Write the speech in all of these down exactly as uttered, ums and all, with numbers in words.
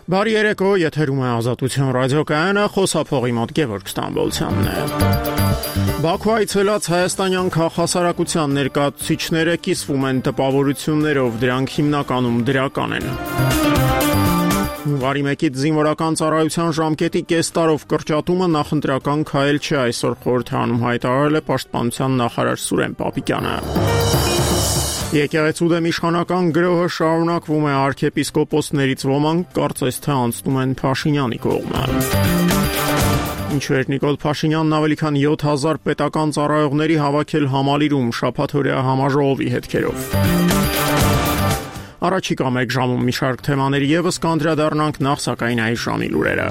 Բարի երեկո, եթերում է Ազատություն ռադիոկայանը, խոսափողի մոտ Գևորգ Ստամբոլցյանն է։ Բաքու այցելած հայաստանյան քաղաքասարակության ներկայացուցիչները կիսվում են տպավորություններով, դրանք հիմնականում դրական են։ Հունվարի մեկից զինվորական ծառայության ժամկետի կես տարով կրճատումը նախընտրական քայլ չէ, այսօր խորհրդարանում հայտարարել է Պաշտպանության նախարար Սուրեն Պապիկյանը։ Եկեղեցու դեմ իշխանական գրոհը շարունակվում է, արքեպիսկոպոսներից ոմանք կարծես թե անցնում են Փաշինյանի կողմը։ Ինչու էր Նիկոլ Փաշինյանն ավելի քան յոթ հազար պետական ծառայողների հավաքել Համալիրում շաբաթօրյա համաժողովի հետքերով։ Առաջիկա մեկ ժամում մի շարք թեմաների ևս կանդրադառնանք, նախ սակայն այս ժամի լուրերը։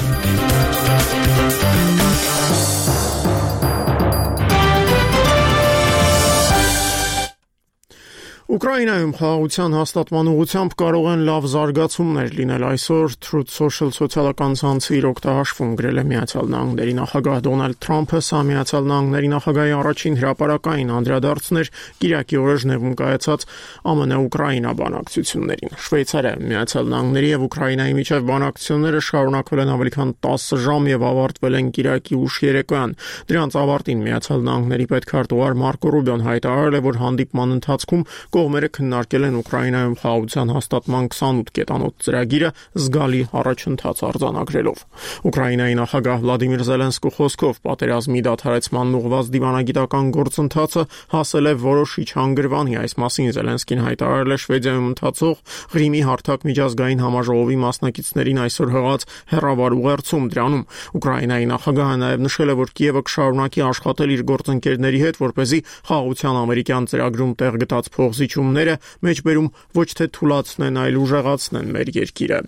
Ուկրաինայում խաղաղության հաստատման ուղղությամբ կարող են լավ զարգացումներ լինել, այսօր Truth Social սոցիալական ցանցը իր օգտահաշվում գրել է Միացյալ Նահանգների նախագահ Դոնալդ Թրամփը, սա Միացյալ Նահանգների նախագահի առաջին հրապարակային անդրադարձն էր Կիրակի օրը Ժնևում կայացած ԱՄՆ Ուկրաինա բանակցություններին։ Շվեյցարիա, Միացյալ Նահանգների եւ Ուկրաինայի միջև բանակցությունները շարունակվել են ավելի քան տասը ժամ եւ ավարտվել են Կիրակի ուշ երեկոյան։ Դրանց ավարտին Միացյալ Նահանգների պետքարտուղար Մարկո Ռուբիոն հայտարարել է, որ հանդիպման ընթացքում կողմերը քննարկել են Ուկրաինայում խաղաղության հաստատման քսանութ կետանոց ծրագիրը զգալի առաջընթաց արձանագրելով։ Ուկրաինայի նախագահ Վլադիմիր Զելենսկու խոսքով պատերազմի դադարեցման ուղղված դիվանագիտական գործընթացը հասել է որոշիչ հանգրվանի, այս մասին Զելենսկին հայտարարել է Շվեդիայում ընթացող Ղրիմի հարթակ միջազգային համաժողովի մասնակիցներին այսօր հղած հեռավար ուղերձում։ Դրանում Ուկրաինայի նախագահը նաև նշել է, որ Կիևը կշարունակի աշխատել իր գործընկերների հետ, որպեսզի խաղաղության ամերիկյան ծրագրում տեղ գտած փոխզիջումները մեջբերում ոչ թե թուլացնեն, այլ ուժեղացնեն մեր երկիրը։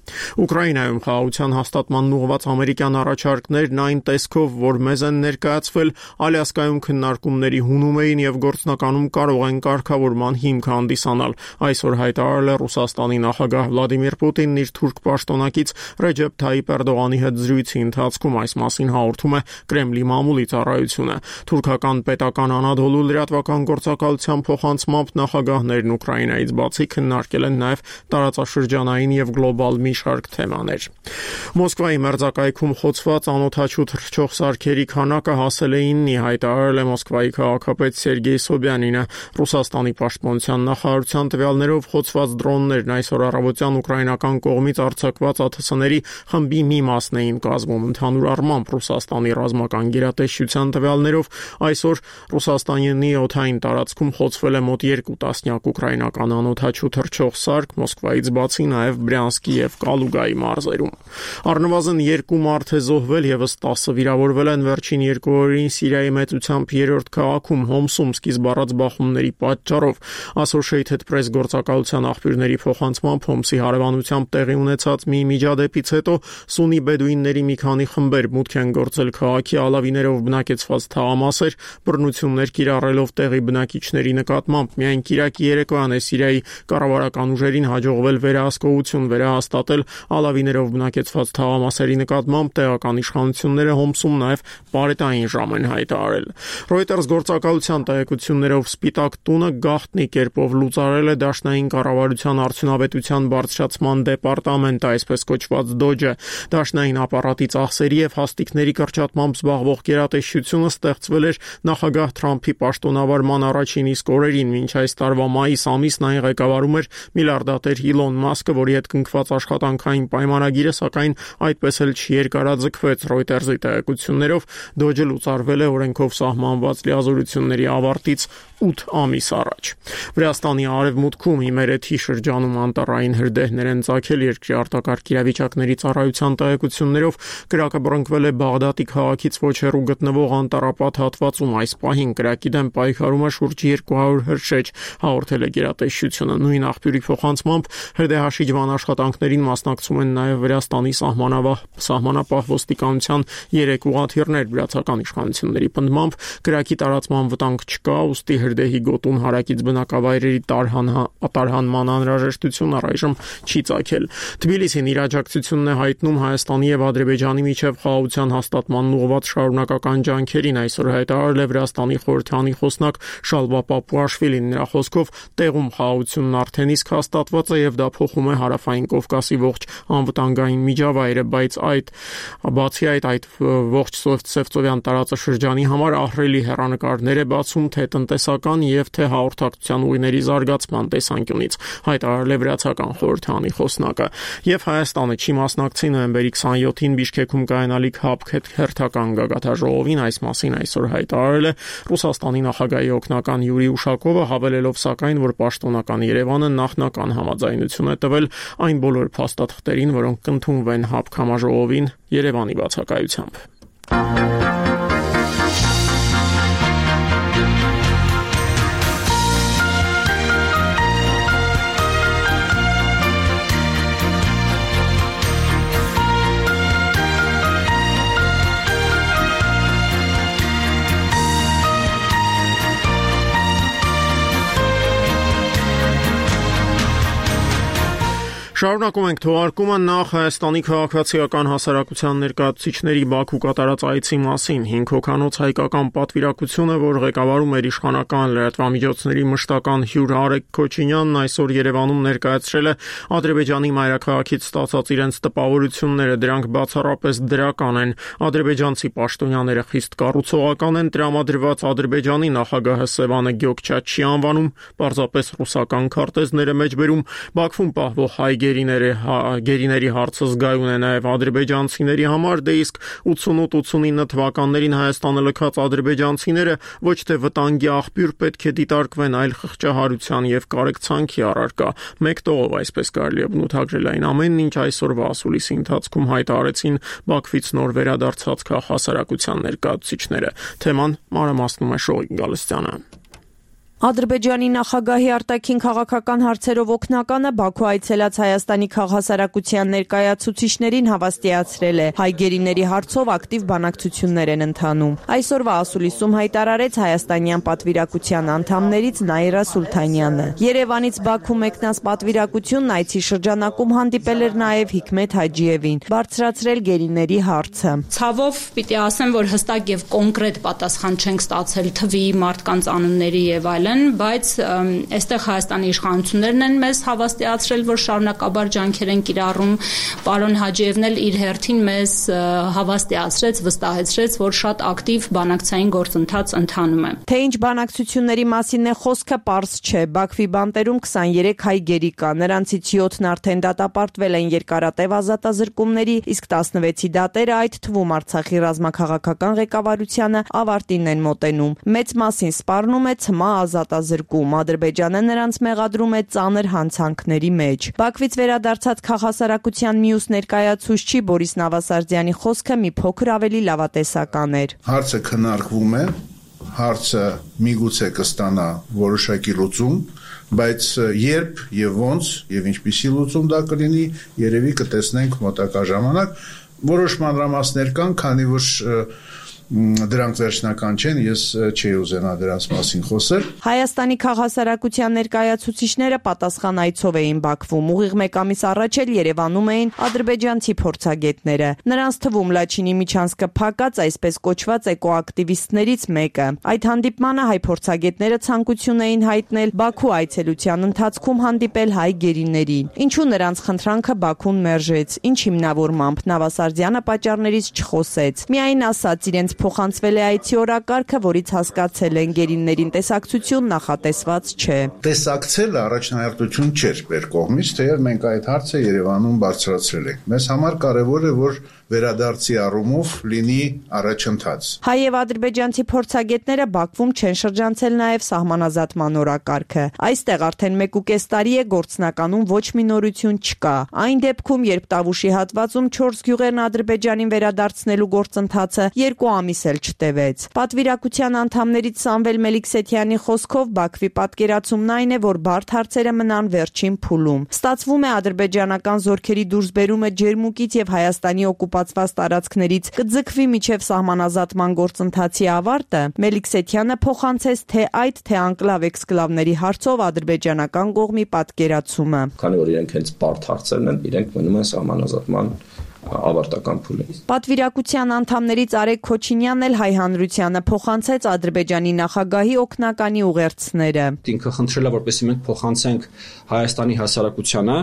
Ուկրաինայում խաղաղության հաստատման ուղղված ամերիկյան առաջարկներն այն տեսքով, որ մեզ են ներկայացվել, Ալյասկայում քննարկումների հունում էին եւ գործնականում կարող են կարգավորման հիմք հանդիսանալ։ Այսօր հայտարարել է Ռուսաստանի նախագահ Վլադիմիր Պուտինն իր թուրք պաշտոնակից Ռեջեփ Թայիպ Էրդողանի հետ զրույցի ընթացքում, այս մասին հաղորդում է Կրեմլի մամուլի ծառայությունը։ Թուրքական պետական Անադոլու լրատվական գործակալության փոխանցմամբ նախագահներն Ուկրաինայից բացի քննարկել են նաև տարածաշրջանային եւ գլոբալ մի շարք թեմաներ։ Մոսկվայի մերձակայքում խոցված անօդաչու թռչող սարքերի քանակը հասել է իննի, հայտարարել է Մոսկվայի քաղաքապետ Սերգեյ Սոբյանինը։ Ռուսաստանի պաշտպանության նախարարության տվյալներով խոցված դրոններն այսօր առավոտյան ուկրաինական կողմից արձակված ԱԹՍ-ների խմբի մի մասն էին կազմում։ Ընդհանուր առմամբ Ռուսաստանի ռազմական գերատեսչության տվյալներով այսօր Ռուսաստանի օդային տարածքում խոցվել է մոտ երկու տասնյակ ուկրաինական անօդաչու թռչող սարք, Մոսկվայից բացի նաև Բրյանսկի եւ Կալուգայի մարզերում։ Առնվազն երկու մարդ է զոհվել, եւս տասը վիրավորվել են վերջին երկու օրերին Սիրիայի մեծությամբ երրորդ քաղաքում Հոմսում սկիզբ առած բախումների պատճառով։ Associated Press գործակալության աղբյուրների փոխանցմամբ Հոմսի հարևանությամբ տեղի ունեցած մի միջադեպից հետո սունի բեդուինների մի քանի խմբեր մուտք են գործել քաղաքի ալավիներով բնակեցված թաղամասեր, բռնություններ կիրառելով տեղի բնակիչների նկատմամբ։ Միայն Կիրակի երեկոյան է Սիրիայի կառավարական ուժերին հաջողվել վերահսկողություն վերահաստատել ալավիներով բնակեցված թաղամասերի նկատմամբ, տեղական իշխանությունները Հոմսում նաև պարետային ժամ են հայտարարել։ Reuters գործակալության տեղեկություններով Սպիտակ տունը գաղտնի կերպով լուծարել է դաշնային կառավարության արդյունավետության բարձրացման դեպարտամենտը, այսպես կոչված դոջը։ Դաշնային ապարատի ծախսերի եւ հաստիկների կրճատմամբ զբաղվող գերատեսչությունը ստեղծվել էր նախագահ Թրամփի պաշտոնավարման առաջին իսկ օրերին, մինչ այս տարվա մայիս ամիսն այն ղեկավարում էր միլիարդատեր Իլոն Մասկը, որի հետ կնքված աշխատանքային պայմանագիրը սակայն այդպես էլ չերկարաձգվեց։ Reuters-ի տեղեկություններով դոջը լուծարվել է օրենքով սահմանված լիազորությունների ավարտից ութ ամիս առաջ։ Վրաստանի արևմուտքում Իմերեթի շրջանում անտառային հրդեհներ են ծագել, երկրի արտակարգ իրավիճակների ծառայության տեղեկություններով կրակը բռնկվել է Բաղդադի քաղաքից ոչ հեռու գտնվող անտառապատ հատվածում։ Այս պահին կրակի դեմ պայքարում է շուրջ երկու հարյուր հրշեջ, հաղորդել է գերատեսչությունը։ Նույն աղբյուրի փոխանցմամբ հրդեհաշիջման աշխատանքներին մասնակցում են նաև Վրաստանի սահմանավահ սահմանապահ ոստիկանության երեք ուղղաթիռներ։ Վրացական իշխանությունների պնդմամբ կրակի տարածման վտանգ չկա, ուստի հրդեհի գոտուն հարակից բնակավայրերի տարհանման անհրաժեշտություն առայժմ չի ծագել։ Թբիլիսին իր աջակցությունն է հայտնում Հայաստանի եւ Ադրբեջանի միջև խաղաղության հաստատման ուղղված շարունակական ջանքերին, այսօր հայտարարել է Վրաստանի խորհրդանի խոսնակ Շալվա Պապուաշվիլին։ Նրա խոսքով Տեղում խաղաղությունն արդեն իսկ հաստատված է եւ դա փոխում է Հարավային Կովկասի ողջ անվտանգային միջավայրը, բայց այդ բացի այդ այդ ողջ Սևծովյան տարածաշրջանի համար ահռելի հեռանկարներ է բացում թե տնտեսական եւ թե հաղորդակցության ուղիների զարգացման տեսանկյունից, հայտարարել է վրացական խորհրդանի խոսնակը։ Եվ Հայաստանը չի մասնակցի նոյեմբերի քսանյոթին Բիշկեքում կայանալիք ՀԱՊԿ հերթական գագաթաժողովին, այս մասին այսօր հայտարարել է Ռուսաստանի նախագահի օգնական Յուրի Ուշակովը, հավելելով սակայն, որ պաշտոնական Երևանը նախնական համաձայնություն է տվել այն բոլոր փաստաթղթերին, որոնք կընդունվեն ՀԱՊԿ համաժողովին Երևանի բացակայությամբ։ Շարունակում ենք թողարկումը նախ Հայաստանի քաղաքացիական հասարակության ներկայացուցիչների Բաքու կատարած այցի մասին։ Հինգ հոգանոց հայկական պատվիրակությունը, որ ղեկավարում էր իշխանական լրատվամիջոցների մշտական հյուր Արեգ Քոչինյանն, այսօր Երևանում ներկայացրել է Ադրբեջանի մայրաքաղաքից ստացած իրենց տպավորությունները, դրանք բացառապես դրական են։ Ադրբեջանցի պաշտոնյաները խիստ կառուցողական են, տրամադրված Ադրբեջանի նախագահը Սևանը Գյոքչաչ չի անվանում, պարզապես ռուսական քարտեզները մեջբերում, Բաքվում պահվող հայ գերիների, գերիների հարցը զգայուն է նաև ադրբեջանցիների համար, դե իսկ ութսունութ ութսունինը թվականներին Հայաստանը լքած ադրբեջանցիները ոչ թե վտանգի աղբյուր պետք է դիտարկվեն, այլ խղճահարության եւ կարեկցանքի առարկա։ Մեկ տողով այսպես կարելի է բնութագրել այն ամենն, ինչ այսօրվա ասուլիսի ընթացքում հայտարարեցին Բաքվից նոր վերադարձած քաղաքասարակության ներկայացուցիչները։ Թեման մանրամասնում է Շողիկ Գալստյանը։ Ադրբեջանի նախագահի արտաքին քաղաքական հարցերով օգնականը Բաքու այցելած Հայաստանի քաղաքասարակության ներկայացուցիչներին հավաստիացրել է, հայ գերիների հարցով ակտիվ բանակցություններ են ընթանում։ Այսօրվա ասուլիսում հայտարարեց հայաստանյան պատվիրակության անդամներից Նաիրա Սուլթանյանը։ Երևանից Բաքու մեկնած պատվիրակությունն այցի շրջանակում հանդիպել էր նաև Հիկմետ Հաջիևին, բարձրացրել գերիների հարցը։ Ցավով պիտի ասեմ, որ հստակ եւ կոնկրետ պատասխան չենք ստացել թվի, մարդկանց անունների եւ այլն, բայց այստեղ Հայաստանի իշխանություններն են մեզ հավաստիացրել, որ շարունակաբար ջանքեր են կիրառում։ Պարոն Հաջիևն էլ իր հերթին մեզ հավաստիացրեց, վստահեցրեց, որ շատ ակտիվ բանակցային գործընթաց ընթանում է։ Թե ինչ բանակցությունների մասին է խոսքը, պարզ չէ։ Բաքվի բանտերում քսաներեք հայ գերի կա, նրանցից յոթն արդեն դատապարտվել են երկարատև ազատազրկումների, իսկ տասնվեցի դատերը, այդ թվում Արցախի ռազմաքաղաքական ղեկավարությանը, ավարտին են մոտենում։ Մեծ մասին սպառնում է ցմահ ազատազրկում, Ադրբեջանը նրանց մեղադրում է ծանր հանցանքների մեջ։ Բաքվից վերադարձած քաղաքասարակության մյուս ներկայացուցիչ Բորիս Նավասարդյանի խոսքը մի փոքր ավելի լավատեսական էր։ Հարցը քննարկվում է, հարցը միգուցե կստանա որոշակի լուծում, բայց երբ եւ ոնց եւ ինչպիսի լուծում դա կլինի, երևի կտեսնենք մոտակա ժամանակ։ Որոշ մանրամասներ կան, քանի որ դրանք վերջնական չեն, ես չի ուզենա դրանց մասին խոսել։ Հայաստանի քաղաքասարակության ներկայացուցիչները պատասխան այցով էին Բաքվում, ուղիղ մեկ ամիս առաջ էլ Երևանում էին ադրբեջանցի փորձագետները։ Նրանց թվում Լաչինի Միչանսկը փակած այսպես կոչված էկոակտիվիստներից մեկը։ Այդ հանդիպմանը հայ փորձագետները ցանկություն էին հայտնել Բաքու այցելության ընթացքում հանդիպել հայ գերիներին։ Ինչու նրանց խնդրանքը Բաքուն մերժեց, ինչ հիմնավորմամբ Նավասարդյանը պատճառներից չխոսեց։ Միայն ասաց իրենց փոխանցվել է այցի օրակարգը, որից հասկացել են գերիներին տեսակցություն նախատեսված չէ։ Տեսակցելը առաջնահերթություն չէր մեր կողմից, թեև մենք այդ հարցը Երևանում բարձրացրել ենք։ Մեզ համար կարևոր է, որ վերադարձի առումով լինի առաջընթաց։ Հայ եւ ադրբեջանցի փորձագետները Բաքվում չեն շրջանցել նաեւ սահմանազատման օրակարգը։ Այստեղ արդեն մեկ ու կես տարի է գործնականում ոչ մի նորություն չկա։ Այն դեպքում, երբ Տավուշի հատվածում չորս գյուղերն Ադրբեջանին վերադարձնելու գործընթացը երկու ամիս էլ չտևեց։ Պատվիրակության անդամներից Սամվել Մելիքսեթյանի խոսքով Բաքվի պատկերացումն այն է, որ բարդ հարցերը մնան վերջին փուլում։ Ստացվում է ադրբեջանական զորքերի դուրսբերումը Ջերմուկից եւ Հայաստանի օկուպացված տարածքներից կձգվի միջև սահմանազատման գործընթացի ավարտը։ Մելիքսեթյանը փոխանցեց թե այդ, թե անկլավ էքսկլավների հարցով ադրբեջանական կողմի պատկերացումը։ Քանի որ իրենք հենց բարդ հարցերն են, իրենք մնում են սահմանազատման ավարտական փուլը։ Պատվիրակության անդամներից Արեգ Քոչինյանն էլ հայ հանրությանը փոխանցեց Ադրբեջանի նախագահի օգնականի ուղերձները։ Ինքը խնդրել է, որպեսզի մենք փոխանցենք Հայաստանի հասարակությանը։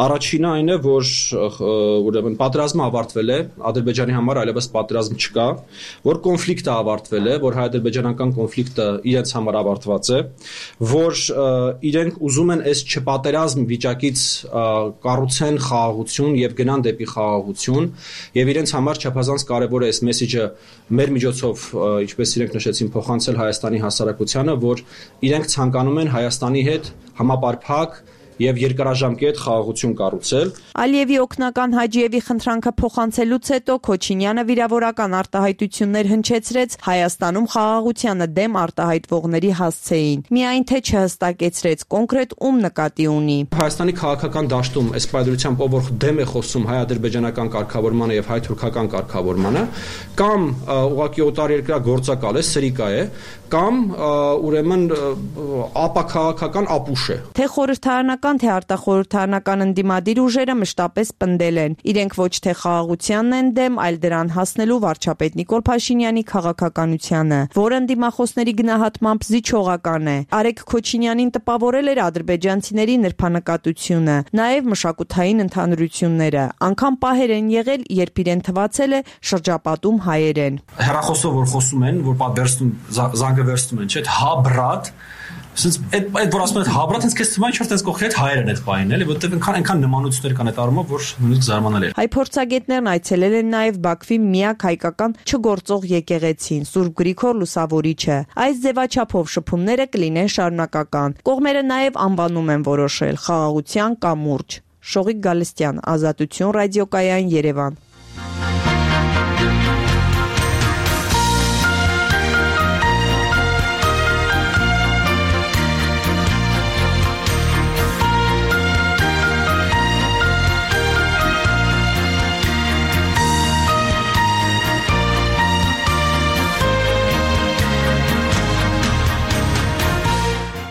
Առաջինը այն է, որ ուրեմն պատերազմը ավարտվել է, Ադրբեջանի համար այլևս պատերազմ չկա, որ կոնֆլիկտը ավարտվել է, որ հայ-ադրբեջանական կոնֆլիկտը իրենց համար ավարտված է, որ իրենք ուզում են այս չպատերազմ վիճակից կառուցեն խաղաղություն եւ գնան դեպի խաղաղություն, եւ իրենց համար չափազանց կարեւոր է այս մեսեջը մեր միջոցով, ինչպես իրենք նշեցին, փոխանցել Հայաստանի հասարակությանը, որ իրենք ցանկանում են Հայաստանի հետ համապարփակ եւ երկարաժամկետ խաղաղություն կառուցել։ Ալիևի օգնական Հաջիևի խնդրանքը փոխանցելուց հետո Քոչինյանը վիրավորական արտահայտություններ հնչեցրեց Հայաստանում խաղաղությանը դեմ արտահայտվողների հասցեին, միայն թե չհստակեցրեց կոնկրետ ում նկատի ունի։ Հայաստանի քաղաքական դաշտում այս պայմանությամբ ով որ դեմ է խոսում հայ-ադրբեջանական կարգավորմանը եւ հայ-թուրքական կարգավորմանը, կամ ուղղակի օտարերկրյա գործակալ է, սրիկա է, կամ ուրեմն ապաքաղաքական ապուշ է։ Թե խորհրդարանական, թե արտախորհրդարանական ընդդիմադիր ուժերը մշտապես պնդել են։ Իրենք ոչ թե խաղաղությանն են դեմ, այլ դրան հասնելու վարչապետ Նիկոլ Փաշինյանի քաղաքականությանը, որը ընդդիմախոսների գնահատմամբ զիջողական է։ Արեգ Քոչինյանին տպավորել էր ադրբեջանցիների նրբանկատությունը, նաև մշակութային ընդհանրությունները։ Անգամ պահեր են եղել, երբ իրեն թվացել է շրջապատում հայեր են։ Հեռախոսով որ խոսում են, որ պատվերստում զանգը վերցնում են, չէ՞, հա բրատ, ասես այդ այդ որ ասում են հա բրատ, ինձ քեզ թվում է ինչ որ տես կողքի հետ հայերն այդ բանին, էլի, որտեղ այնքան այնքան նմանություններ կան այդ առումով, որ նույնիսկ զարմանալի է։ Հայ փորձագետներն այցելել են նաև Բաքվի միակ հայկական չգործող եկեղեցին, Սուրբ Գրիգոր Լուսավորիչը։ Այս ձևաչափով շփումները կլինեն շարունակական։ Կողմերը նաև անվանում են որոշել խաղաղության կամուրջ։ Շողիկ Գալստյան, Ազատություն ռադիոկայան, Երևան։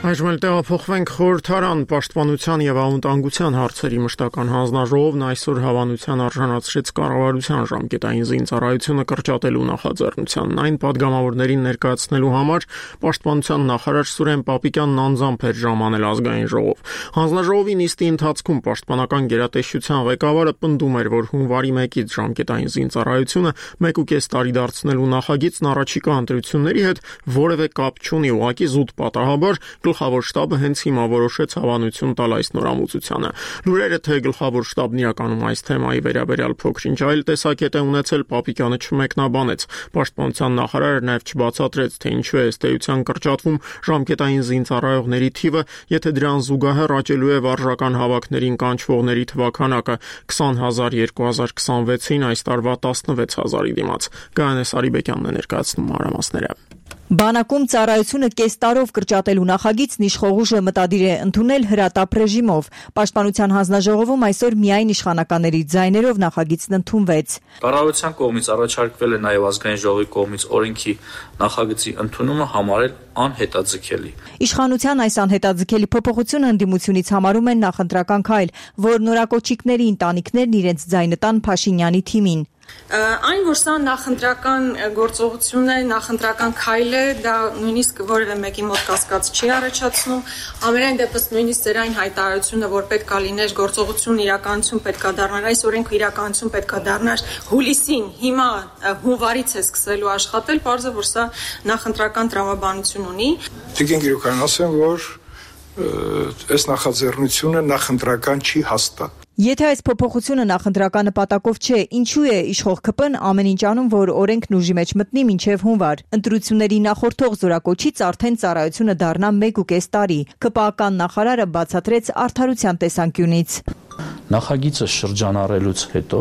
Այժմ էլ տեղափոխվենք խորհրդարան պաշտպանության եւ անվտանգության հարցերի մշտական հանձնաժողովն այսօր հավանության արժանացրեց կառավարության ժամկետային զինծառայությունը կրճատելու նախաձեռնությանն։ Այն падգամավորներին ներկայացնելու համար պաշտպանության նախարար Սուրեն Պապիկյանն անձամբ էր ժամանել ազգային ժողով։ Հանձնաժողովի նիստի ընթացքում պաշտպանական գերատեսչության ղեկավարը պնդում էր, որ հունվարի մեկից ժամկետային զինծառայությունը մեկ ու կես տարի դարձնելու նախագիծն առաջիկա ընտրությունների հետ որևէ կապ չունի, ուղղակի զուտ պատահաբար Գլխավոր շտաբը հենց հիմա որոշեց հավանություն տալ այս նորամուծությանը։ Լուրերը թե գլխավոր շտաբն իրականում այս թեմայի վերաբերյալ փոքր-ինչ այլ տեսակետ է ունեցել, Պապիկյանը չմեկնաբանեց։ Պաշտպանության նախարարը նաև չբացատրեց, թե ինչու է ըստ էության կրճատվում ժամկետային զինծառայողների թիվը, եթե դրան զուգահեռ աճելու է վարժական հավաքներին կանչվողների թվաքանակը քսան հազար երկու հազար քսանվեցին այս տարվա տասնվեց հազարի դիմաց։ Գայանե Սարիբեկյանն է ներկայացնում մանրամասները։ Բանակում ծառայությունը կես տարով կրճատելու նախագիծն իշխող ուժը մտադիր է ընդունել հրատապ ռեժիմով։ Պաշտպանության հանձնաժողովում այսօր միայն իշխանականների ձայներով նախագիծն ընդունվեց։ Կառավարության կողմից առաջարկվել է նաև ազգային ժողովի կողմից օրենքի նախագծի ընդունումը համարել անհետաձգելի։ Իշխանության այս անհետաձգելի փոփոխությունը ընդդիմությունից համարում են նախընտրական քայլ, որ նորակոչիկների ընտանիքներն իրենց ձայնը տան Փաշինյանի թիմին։ Այն, որ սա նախընտրական գործողություն է, նախընտրական քայլ է, դա նույնիսկ որևէ մեկի մոտ կասկած չի առաջացնում։ Ամենայն դեպս նույնիսկ ձեր այն հայտարարությունը, որ պետք է լիներ գործողություն իրականություն պետք է դառնար, այս օրենքը իրականություն պետք է դառնար հուլիսին, հիմա հունվարից է սկսելու աշխատել, պարզը որ սա նախընտրական տրամաբանություն ունի։ Տիկին Գիրուկյան, ասեմ, որ այս նախաձեռնությունը նախընտրական չի հաստատ։ Եթե այս փոփոխությունը նախընտրական նպատակով չէ, ինչու է իշխող ՔՊ-ն ամեն ինչ անում, որ օրենքն ուժի մեջ մտնի մինչև հունվար։ Ընտրությունների նախորդող զորակոչից արդեն ծառայությունը դառնա մեկ ու կես տարի։ ՔՊԱ-ական նախարարը բացատրեց արդարության տեսանկյունից։ Նախագիծը շրջանառելուց հետո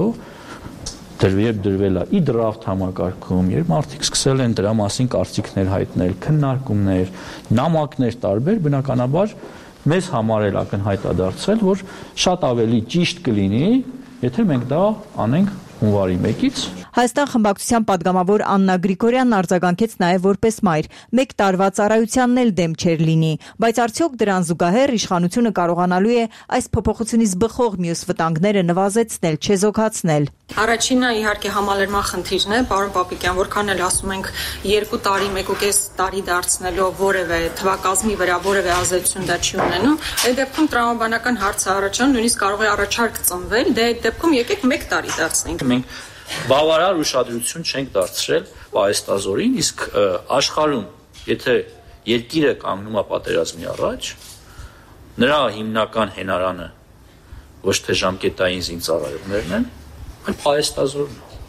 դրվեր դրվել է ի դրաֆտ համակարգում, երբ մարդիկ սկսել են դրա մասին կարծիքներ հայտնել, քննարկումներ, նամակներ տարբեր, բնականաբար մեզ համար էլ ակնհայտ է դարձել, որ շատ ավելի ճիշտ կլինի, եթե մենք դա անենք հունվարի մեկից։ Հայաստան խմբակցության падգամավոր Աննա Գրիգորյանն արձագանքեց նաև որպես մայր, մեկ տարվա ծառայությանն էլ դեմ չէր լինի, բայց արդյոք դրան զուգահեռ իշխանությունը կարողանալու է այս փոփոխությունից բխող մյուս վտանգները նվազեցնել, չեզոքացնել։ Առաջինը իհարկե համալրման խնդիրն է, պարոն Պապիկյան, որքան էլ ասում ենք երկու տարի, մեկ ու կես տարի դարձնելով որևէ թվակազմի վրա որևէ ազդեցություն դա չի ունենում, այդ դեպքում տրամաբանական հարցը առաջան, նույնիսկ կարող է առաջարկ ծնվել, դե այդ դեպքում եկեք մեկ տարի դարձնենք։ Մենք բավարար ուշադրություն չենք դարձրել պահեստազորին, իսկ աշխարհում, եթե երկիրը կանգնում է պատերազմի առաջ, նրա հիմնական հենարանը ոչ թե ժամկետային զինծառայողներն են, այլ պահեստազորն է։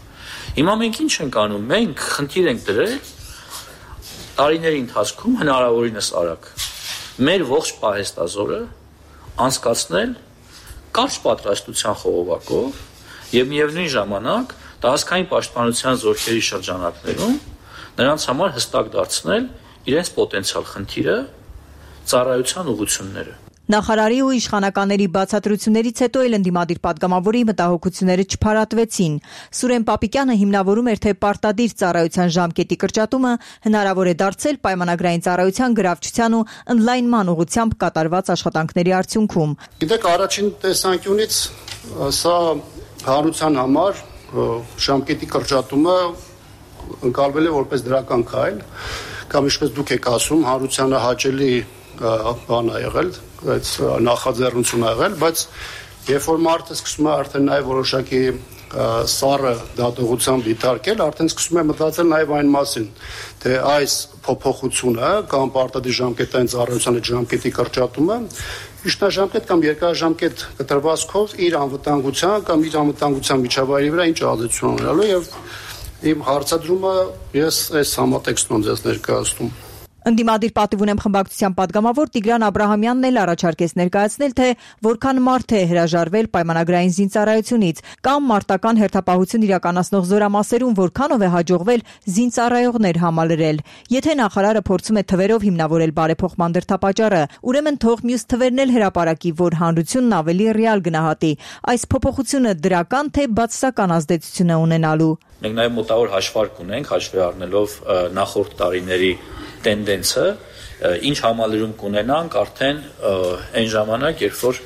Հիմա մենք ինչ ենք անում, մենք խնդիր ենք դրել տարիների ընթացքում հնարավորինս արագ մեր ողջ պահեստազորը անցկացնել կարճ պատրաստության խողովակով եւ միևնույն ժամանակ տարածքային պաշտպանության զորքերի շրջանակներում նրանց համար հստակ դարձնել իրենց պոտենցիալ խնդիրը, ծառայության ուղղությունները։ Նախարարի ու իշխանականների բացատրություններից հետո էլ ընդդիմադիր падգամավորի մտահոգությունները չփարատվեցին։ Սուրեն Պապիկյանը հիմնավորում էր, թե պարտադիր ծառայության ժամկետի կրճատումը հնարավոր է դարձել պայմանագրային ծառայության գրավչության ու ընդլայնման ուղղությամբ կատարված աշխատանքների արդյունքում։ Գիտեք, առաջին տեսանկյունից սա հանրության համար ժամկետի կրճատումը ընկալվել է որպես դրական քայլ, կամ ինչպես դուք եք ասում, հանրությանը հաճելի բան է եղել, այդ նախաձեռնություն ա եղել, բայց երբ որ մարդը սկսում է արդեն նաև որոշակի սառը դատողությամբ դիտարկել, արդեն սկսում է մտածել նաև այն մասին, թե այս փոփոխությունը կամ պարտադիր ժամկետային ծառայության ժամկետի կրճատումը միջնաժամկետ կամ երկարաժամկետ կտրվածքով իր անվտանգության կամ իր անվտանգության միջավայրի վրա ինչ ազդեցություն ունենալու եւ իմ հարցադրումը ես այս համատեքստում ձեզ ներկայացնում։ Ընդդիմադիր պատիվ ունեմ խմբակցության падգամավոր Տիգրան Աբրահամյանն էլ առաջարկեց ներկայացնել, թե որքան մարդ է հրաժարվել պայմանագրային զինծառայությունից կամ մարտական հերթապահություն իրականացնող զորամասերում որքանով է հաջողվել զինծառայողներ համալրել։ Եթե նախարարը փորձում է թվերով հիմնավորել բարեփոխման դրդապատճառը, ուրեմն թող մյուս թվերն էլ հրապարակի, որ հանրությունն ավելի ռեալ գնահատի։ Այս փոփոխությունը դրական թե բացասական ազդեցություն է ունենալու։ Մենք նաև մոտավոր հաշվարկ ունենք, հաշվի առնելով նախորդ տարիների տենդենսը, ինչ համալրում կունենանք արդեն այն ժամանակ, երբ որ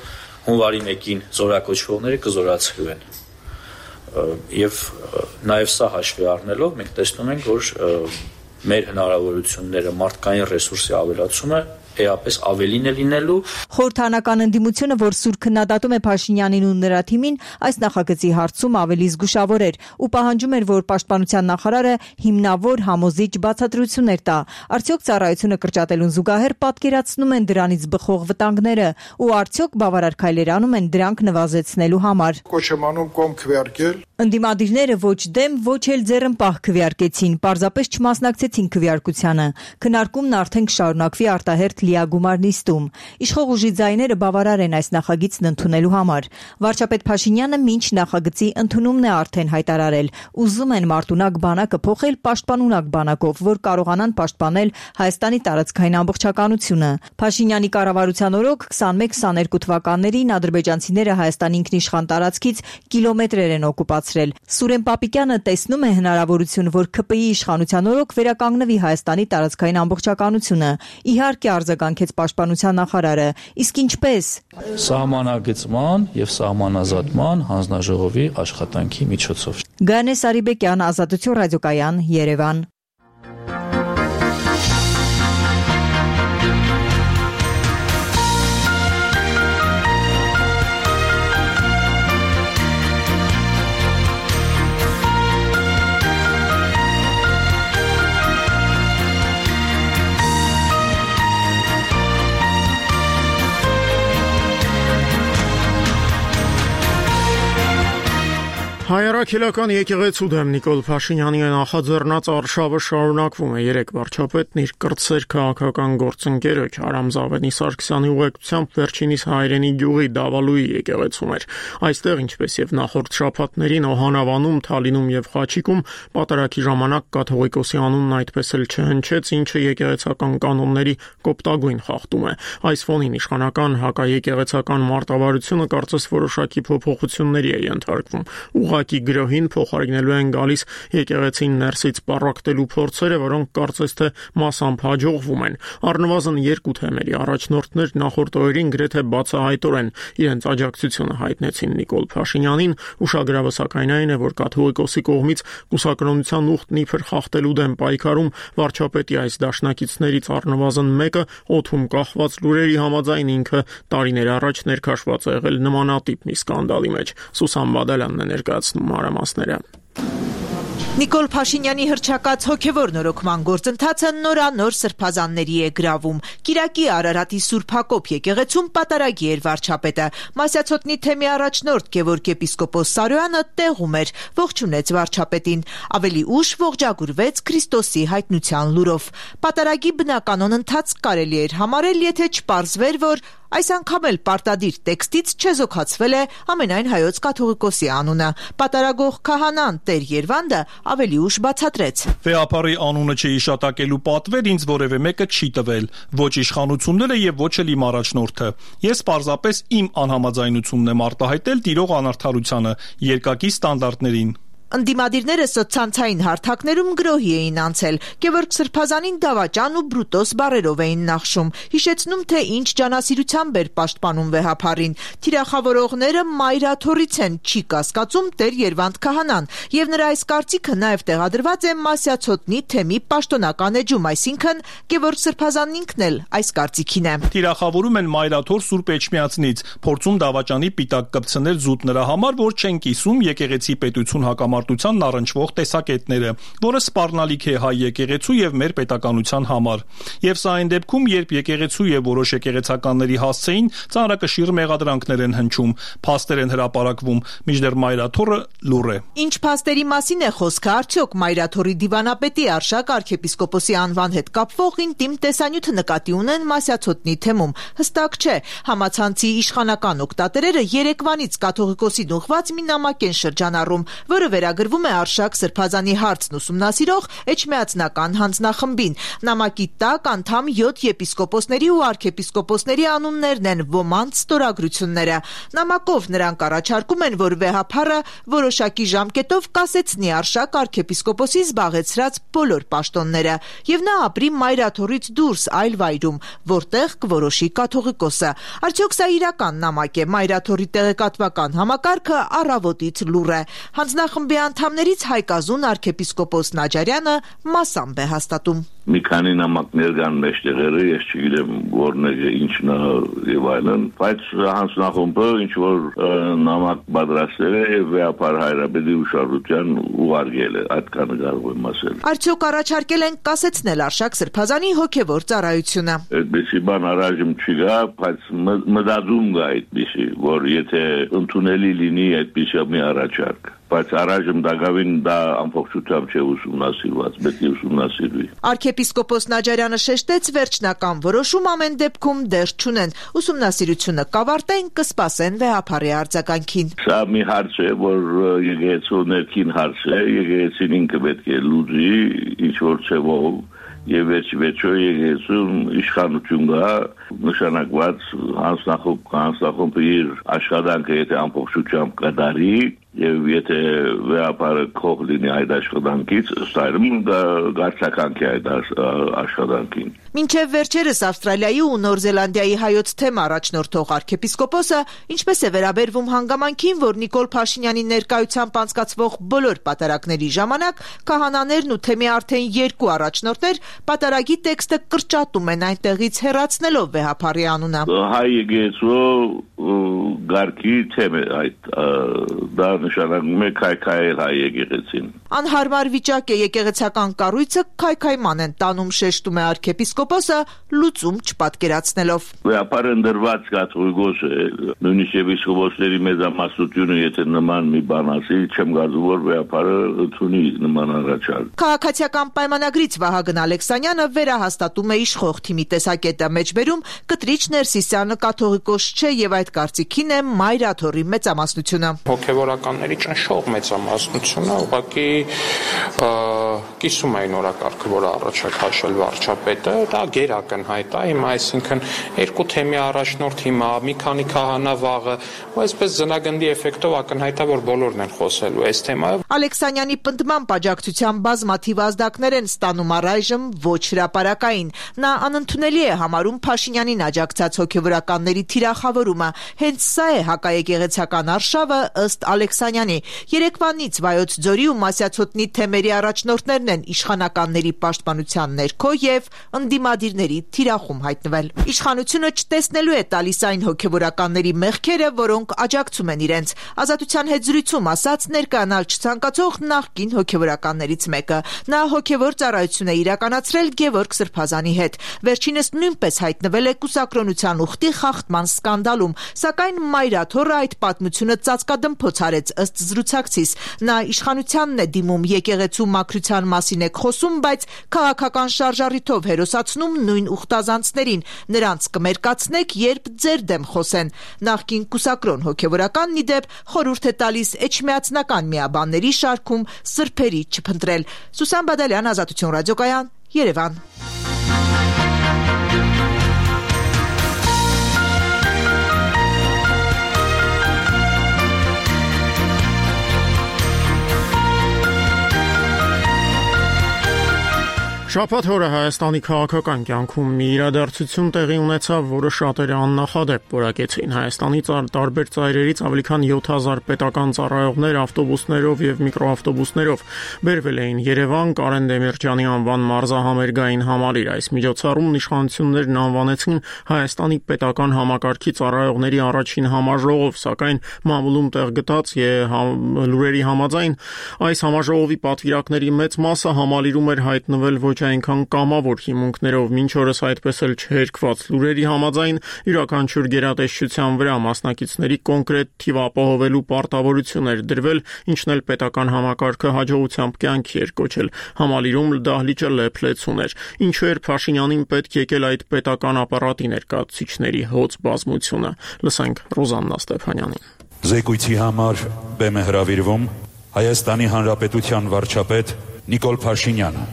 հունվարի մեկին զորակոչվողները կզորացվելու են։ Եվ նաև սա հաշվի առնելով մենք տեսնում ենք, որ մեր հնարավորությունները մարդկային ռեսուրսի ավելացումը էապես ավելին է լինելու։ Խորհրդանական ընդդիմությունը, որ սուր քննադատում է Փաշինյանին ու նրա թիմին, այս նախագծի հարցում ավելի զգուշավոր էր ու պահանջում էր, որ պաշտպանության նախարարը հիմնավոր համոզիչ բացատրություններ տա։ Արդյոք ծառայությունը կրճատելուն զուգահեռ պատկերացնում են դրանից բխող վտանգները ու արդյոք բավարար քայլեր անում են դրանք նվազեցնելու համար։ Կոչ եմ անում կողմ քվեարկել։ Ընդդիմադիրները ոչ դեմ, ոչ էլ ձեռնպահ քվեարկեցին, պարզապես չմասնակցեցին քվեարկությանը։ Քննարկումն արդեն կշարունակվի արտահերթ լիագումար նիստում։ Իշխող ուժի ձայները բավարար են այս նախագիծն ընդունելու համար։ Վարչապետ Փաշինյանը մինչ նախագծի ընդունումն է արդեն հայտարարել։ Ուզում են մարտունակ բանակը փոխել պաշտպանունակ բանակով, որ կարողանան պաշտպանել Հայաստանի տարածքային ամբողջականությունը։ Փաշինյանի կառավարության օրոք քսանմեկ քսաներկու թվականներին ադրբեջանցիները Հայաստանի ինքնիշխան տարածքից կիլոմետրեր են օկուպացրել։ Սուրեն Պապիկյանը տեսնում է հնարավորություն, որ ՔՊԻ իշխանության օրոք վերականգնվի Հայաստանի տարածքային ամբողջականությունը։ Իհարկե արձագանքեց պաշտպանության նախարարը, իսկ ինչպես։ Սահմանագծման եւ սահմանազատման հանձնաժողովի աշխատանքի միջոցով։ Գանե Սարիբեկյան, Ազատություն ռադիոկայան, Երևան։ Հայրաքելական եկեղեցու դեմ Նիկոլ Փաշինյանի նախաձեռնած արշավը շարունակվում է։ Երեք վարչապետն իր կրտսեր քաղաքական գործընկերը Քարամ Զավենի Սարգսյանի ուղեկցությամբ վերջինիս հայրենի գյուղի Դավալուի եկեղեցում էր։ Այստեղ, ինչպես եւ նախորդ շաբաթներին Օհանավանում, Թալինում եւ Խաչիկում պատարագի ժամանակ կաթողիկոսի անունն այդպես էլ չհնչեց, ինչը եկեղեցական կանոնների կոպտագույն խախտում է։ Այս ֆոնին իշխանական հակաեկեղեցական մարտավարությունը կարծես որոշակի փոփոխությունների է ենթարկվում։ Ուղղակի գրոհին փոխարինելու են գալիս եկեղեցին ներսից պառակտելու փորձերը, որոնք կարծես թե մասամբ հաջողվում են։ Առնվազն երկու թեմերի առաջնորդներ նախորդ օրերին գրեթե բացահայտորեն իրենց աջակցությունը հայտնեցին Նիկոլ Փաշինյանին, ուշագրավը սակայն այն է, որ կաթողիկոսի կողմից կուսակրոնության ուխտն իբր խախտելու դեմ պայքարում վարչապետի այս դաշնակիցներից առնվազն մեկը օդում կախված լուրերի համաձայն ինքը տարիներ առաջ ներքաշված է եղել նմանատիպ մի սկանդալի մեջ։ Սուսան Բադալյանն է ներկայացնում մանրամասները։ Նիկոլ Փաշինյանի հռչակած հոգևոր նորոգման գործընթացը նորանոր սրբազանների է գրավում։ Կիրակի Արարատի Սուրբ Հակոբ եկեղեցում պատարագի էր վարչապետը։ Մասյացոտնի թեմի առաջնորդ Գևորգ եպիսկոպոս Սարոյանը տեղում էր, ողջունեց վարչապետին։ Ավելի ուշ ողջագուրվեց Քրիստոսի հայտնության լուրով։ Պատարագի բնականon ընթացք կարելի էր համարել, եթե չպարզվեր, որ այս անգամ էլ պարտադիր տեքստից չեզոքացվել է ամենայն հայոց կաթողիկոսի անունը։ Պատարագող քահանան Տեր Երվանդը ավելի ուշ բացատրեց. Վեհապարի անունը չհիշատակելու պատվեր ինձ որևէ մեկը չի տվել, ոչ իշխանությունները եւ ոչ էլ իմ առաջնորդը։ Ես պարզապես իմ անհամաձայնությունն եմ արտահայտել տիրող անարդարությանը, երկակի ստանդարտներին։ Ընդդիմադիրները սոցցանցային հարթակներում գրոհի էին անցել, Գևորգ Սրբազանին դավաճան ու բրուտոս բառերով էին նախշում, հիշեցնում, թե ինչ ջանասիրությամբ էր պաշտպանում վեհապարին։ Թիրախավորողները մայրաթորից են, չի կասկածում Տեր Երվանդ քահանան, եւ նրա այս կարծիքը նաեւ տեղադրված է Մասյացոտնի թեմի պաշտոնական էջում, այսինքն Գևորգ Սրբազանն ինքն էլ այս կարծիքին է։ Թիրախավորում են մայրաթոր Սուրբ Էջմիածնից, փորձում դավաճանի պիտակ կպցնել զուտ նրա համար, որ չեն կիսում եկեղեցի պետություն հակամարտ առնչվող տեսակետները, որը սպառնալիք է հայ եկեղեցու եւ մեր պետականության համար։ Եվ սա այն դեպքում, երբ եկեղեցու եւ որոշ եկեղեցականների հասցեին ծանրակշիռ մեղադրանքներ են հնչում, փաստեր են հրապարակվում, մինչդեռ մայրաթորը լուռ է։ Ինչ փաստերի մասին է խոսքը, արդյոք մայրաթորի դիվանապետի Արշակ arczepiskopos-ի անվան հետ կապվող ինտիմ տեսանյութը նկատի ունեն Մասյացոտնի թեմում։ Հստակ չէ, համացանցի իշխանական օգտատերերը երեկվանից կաթողիկոսին ուղղված մի նամակ են շրջանառում, որը վերագրվում է Արշակ Սրբազանի հարցն ուսումնասիրող Էջմիածնական հանձնախմբին։ Նամակի տակ անդամ յոթ եպիսկոպոսների ու arczepiskopos-ների անուններն են, ոմանց ստորագրությունները։ Նամակով նրանք առաջարկում են, որ վեհափառը որոշակի ժամկետով կասեցնի Արշակ arczepiskopos-ի զբաղեցրած բոլոր պաշտոնները, եւ նա ապրի մայրաթորից դուրս այլ վայրում, որտեղ կորոշի կաթողիկոսը։ Արդյոք սա իրական նամակ է, մայրաթորի տեղեկատվական համակարգը առավոտից լուռ է։ Հանձնախմբի անդամներից Հայկազուն arczepiskopos Նաջարյանը մասամբ է հաստատում։ Մի քանի նամակներ կան մեջտեղերը, ես չգիտեմ որն է, ինչն է եւ այլն, բայց հանձնախումբը ինչ որ նամակ պատրաստել է եւ վեհապար հայրապետի ուշադրության ուղարկել է, այդքանը կարող եմ ասել։ Արդյոք առաջարկել են կասեցնել Արշակ Սրբազանի հոգեվոր ծառայությունը։ Այդպիսի բան առայժմ չկա, բայց մտածում կա այդպիսի, որ եթե ընդունելի լինի այդպիսի մի առաջարկ, բայց առայժմ դակավին դա ամբողջությամբ չէ ուսումնասիրված, պետք է ուսումնասիրվի։ Arczepiskopos Նաջարյանը շեշտեց, վերջնական որոշում ամեն դեպքում դեռ չունեն, ուսումնասիրությունը կավարտեն, կսպասեն վեհապարի արձագանքին։ Սա մի հարց է, որ եկեղեցու ներքին հարց է, եկեղեցին ինքը պետք է լուծի ինչ որ ձևով եւ վերջ-վերջո եկեղեցուն իշխանություն կա, նշանակված հանձնախումբ, հանձնախումբը իր աշխատանքը եթե ամբողջությամբ կդարի եւ եթե վեհապարը քող լինի այդ աշխատանքից, ստայրում գարցականքի այդ աշխատանքին։ Մինչև վերջերս Ավստրալիայի ու Նոր Զելանդիայի հայոց թեմ առաջնորդող arczepiskopos-ը ինչպես է վերաբերվում հանգամանքին, որ Նիկոլ Փաշինյանի ներկայությամբ անցկացվող բոլոր պատարագների ժամանակ քահանաներն ու թեմի արդեն երկու առաջնորդներ պատարագի տեքստը կրճատում են այնտեղից հեռացնելով վեհապարի անունը։ Հայ եկեղեցու գարկի թեմ է այդ դա նշանակում է քայքայել հայ եկեղեցին։ Անհարմար վիճակ է, եկեղեցական կառույցը քայքայման են տանում, շեշտում է arczepiskopos-ը լուծում չպատկերացնելով։ Վեհապարը ընդրված կաթողիկոս է, նույնիսկ եպիսկոպոսների մեծամասնությունը եթե նման մի բան ասի, չեմ կարծում որ վեհապարը ընդունի նման առաջարկ։ Քաղաքացիական պայմանագրից Վահագն Ալեքսանյանը վերահաստատում է իշխող թիմի տեսակետը, մեջբերում Կտրիչ Ներսիսյանը կաթողիկոս չէ եւ այդ կարծիքին է մայրաթորի մեծամասնությունը։ Հոգևորականների ճնշող մեծամասնությունը ուղղակի կիսում էին օրակարգը, որը առաջ է քաշել վարչապետը, դա գերակնհայտ է, հիմա այսինքն երկու թեմի առաջնորդ հիմա մի քանի քահանա վաղը, ու այսպես զնագնդի էֆեկտով ակնհայտ է, որ բոլորն են խոսելու այս թեմայով։ Ալեքսանյանի պնդմամբ աջակցության բազմաթիվ ազդակներ են ստանում առայժմ ոչ հրապարակային։ Նա անընդունելի է համարում Փաշինյանին աջակցած հոգևորականների թիրախավորումը։ Հենց սա է հակաեկեղեցական արշավը ըստ Ալեքսանյանի։ Երեկվանից Վայոց ձորի ու Մասյացոտնի թեմերի առաջնորդներն են իշխանականների պաշտպանության ներքո եւ ընդդիմադիրների թիրախում հայտնվել։ Իշխանությունը չտեսնելու է տալիս այն հոգևորականների մեղքերը, որոնք աջակցում են իրենց։ Ազատության հետ զրույցում ասաց ներկայանալ չցանկացող նախկին հոգևորականներից մեկը։ Նա հոգևոր ծառայություն է իրականացրել Գևորգ Սրբազանի հետ։ Վերջինս նույնպես հայտնվել է կուսակրոնության ուխտի խախտման սկանդալում, սակայն մայրաթոռը այդ պատմությունը ծածկադմփոց արեց ըստ զրուցակցիս։ Նա իշխանությանն է դիմում, եկեղեցու մաքրության մասին է խոսում, բայց քաղաքական շարժառիթով հերոսացնում նույն ուխտազանցներին։ Նրանց կմերկացնեք, երբ ձեր դեմ խոսեն։ Նախկին կուսակրոն հոգևորականն ի դեպ խորհուրդ է տալիս էջմիածնական միաբանների շարքում սրբերի չփնտրել։ Սուսան Բադալյան, Ազատություն ռադիոկայան, Երևան։ Շաբաթ օրը Հայաստանի քաղաքական կյանքում մի իրադարձություն տեղի ունեցավ, որը շատերը աննախադեպ որակեցին։ Հայաստանի տարբեր ծայրերից ավելի քան յոթ հազար պետական ծառայողներ ավտոբուսներով եւ միկրոավտոբուսներով բերվել էին Երևան Կարեն Դեմիրճյանի անվան մարզահամերգային համալիր։ Այս միջոցառումն իշխանություններն անվանեցին Հայաստանի պետական համակարգի ծառայողների առաջին համաժողով, սակայն մամուլում տեղ գտած լուրերի համաձայն այս համաժողովի պատվիրակների մեծ մասը համալիրում էր հայտնվել ոչ այնքան կամավոր հիմունքներով, մինչ օրս այդպես էլ չհերկված լուրերի համաձայն յուրաքանչյուր գերատեսչության վրա մասնակիցների կոնկրետ թիվ ապահովելու պարտավորություն էր դրվել, ինչն էլ պետական համակարգը հաջողությամբ կյանքի էր կոչել։ Համալիրում դահլիճը լեփլեցուն էր։ Ինչու էր Փաշինյանին պետք եկել այդ պետական ապարատի ներկայացուցիչների հոծ բազմությունը։ Լսենք Ռոզաննա Ստեփանյանին։ Զեկույցի համար բեմ է հրավիրվում Հայաստանի Հանրապետության վարչապետ Նիկոլ Փաշինյանը։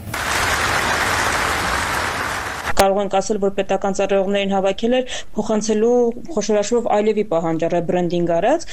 Կարող ենք ասել, որ պետական ծառայողներին հավաքել էր փոխանցելու խոշորաշվով այլևի պահանջ ռեբրենդինգ արած,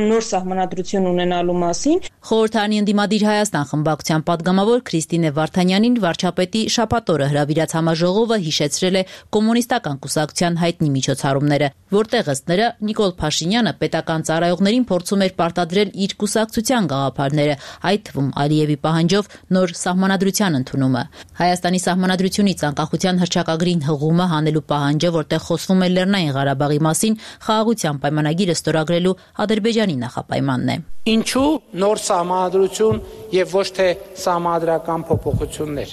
նոր սահմանադրություն ունենալու մասին։ Խորհրդարանի ընդդիմադիր Հայաստան խմբակցության падգամավոր Քրիստինե Վարդանյանին վարչապետի շաբաթ օրը հրավիրած համաժողովը հիշեցրել է կոմունիստական կուսակցության հայտնի միջոցառումները, որտեղ ըստ նրա Նիկոլ Փաշինյանը պետական ծառայողներին փորձում էր պարտադրել իր կուսակցության գաղափարները, այդ թվում Ալիևի պահանջով նոր սահմանադրության ընդունումը։ Հայաստանի սահմանադրությունից անկախության հռչակագրին հղումը հանելու պահանջը, որտեղ խոսվում է Լեռնային Ղարաբաղի մասին, խաղաղության պայմանագիրը ստորագրելու Ադրբեջանի նախապայմանն է։ Ինչու նոր սահմանադրություն եւ ոչ թե սահմանադրական փոփոխություններ,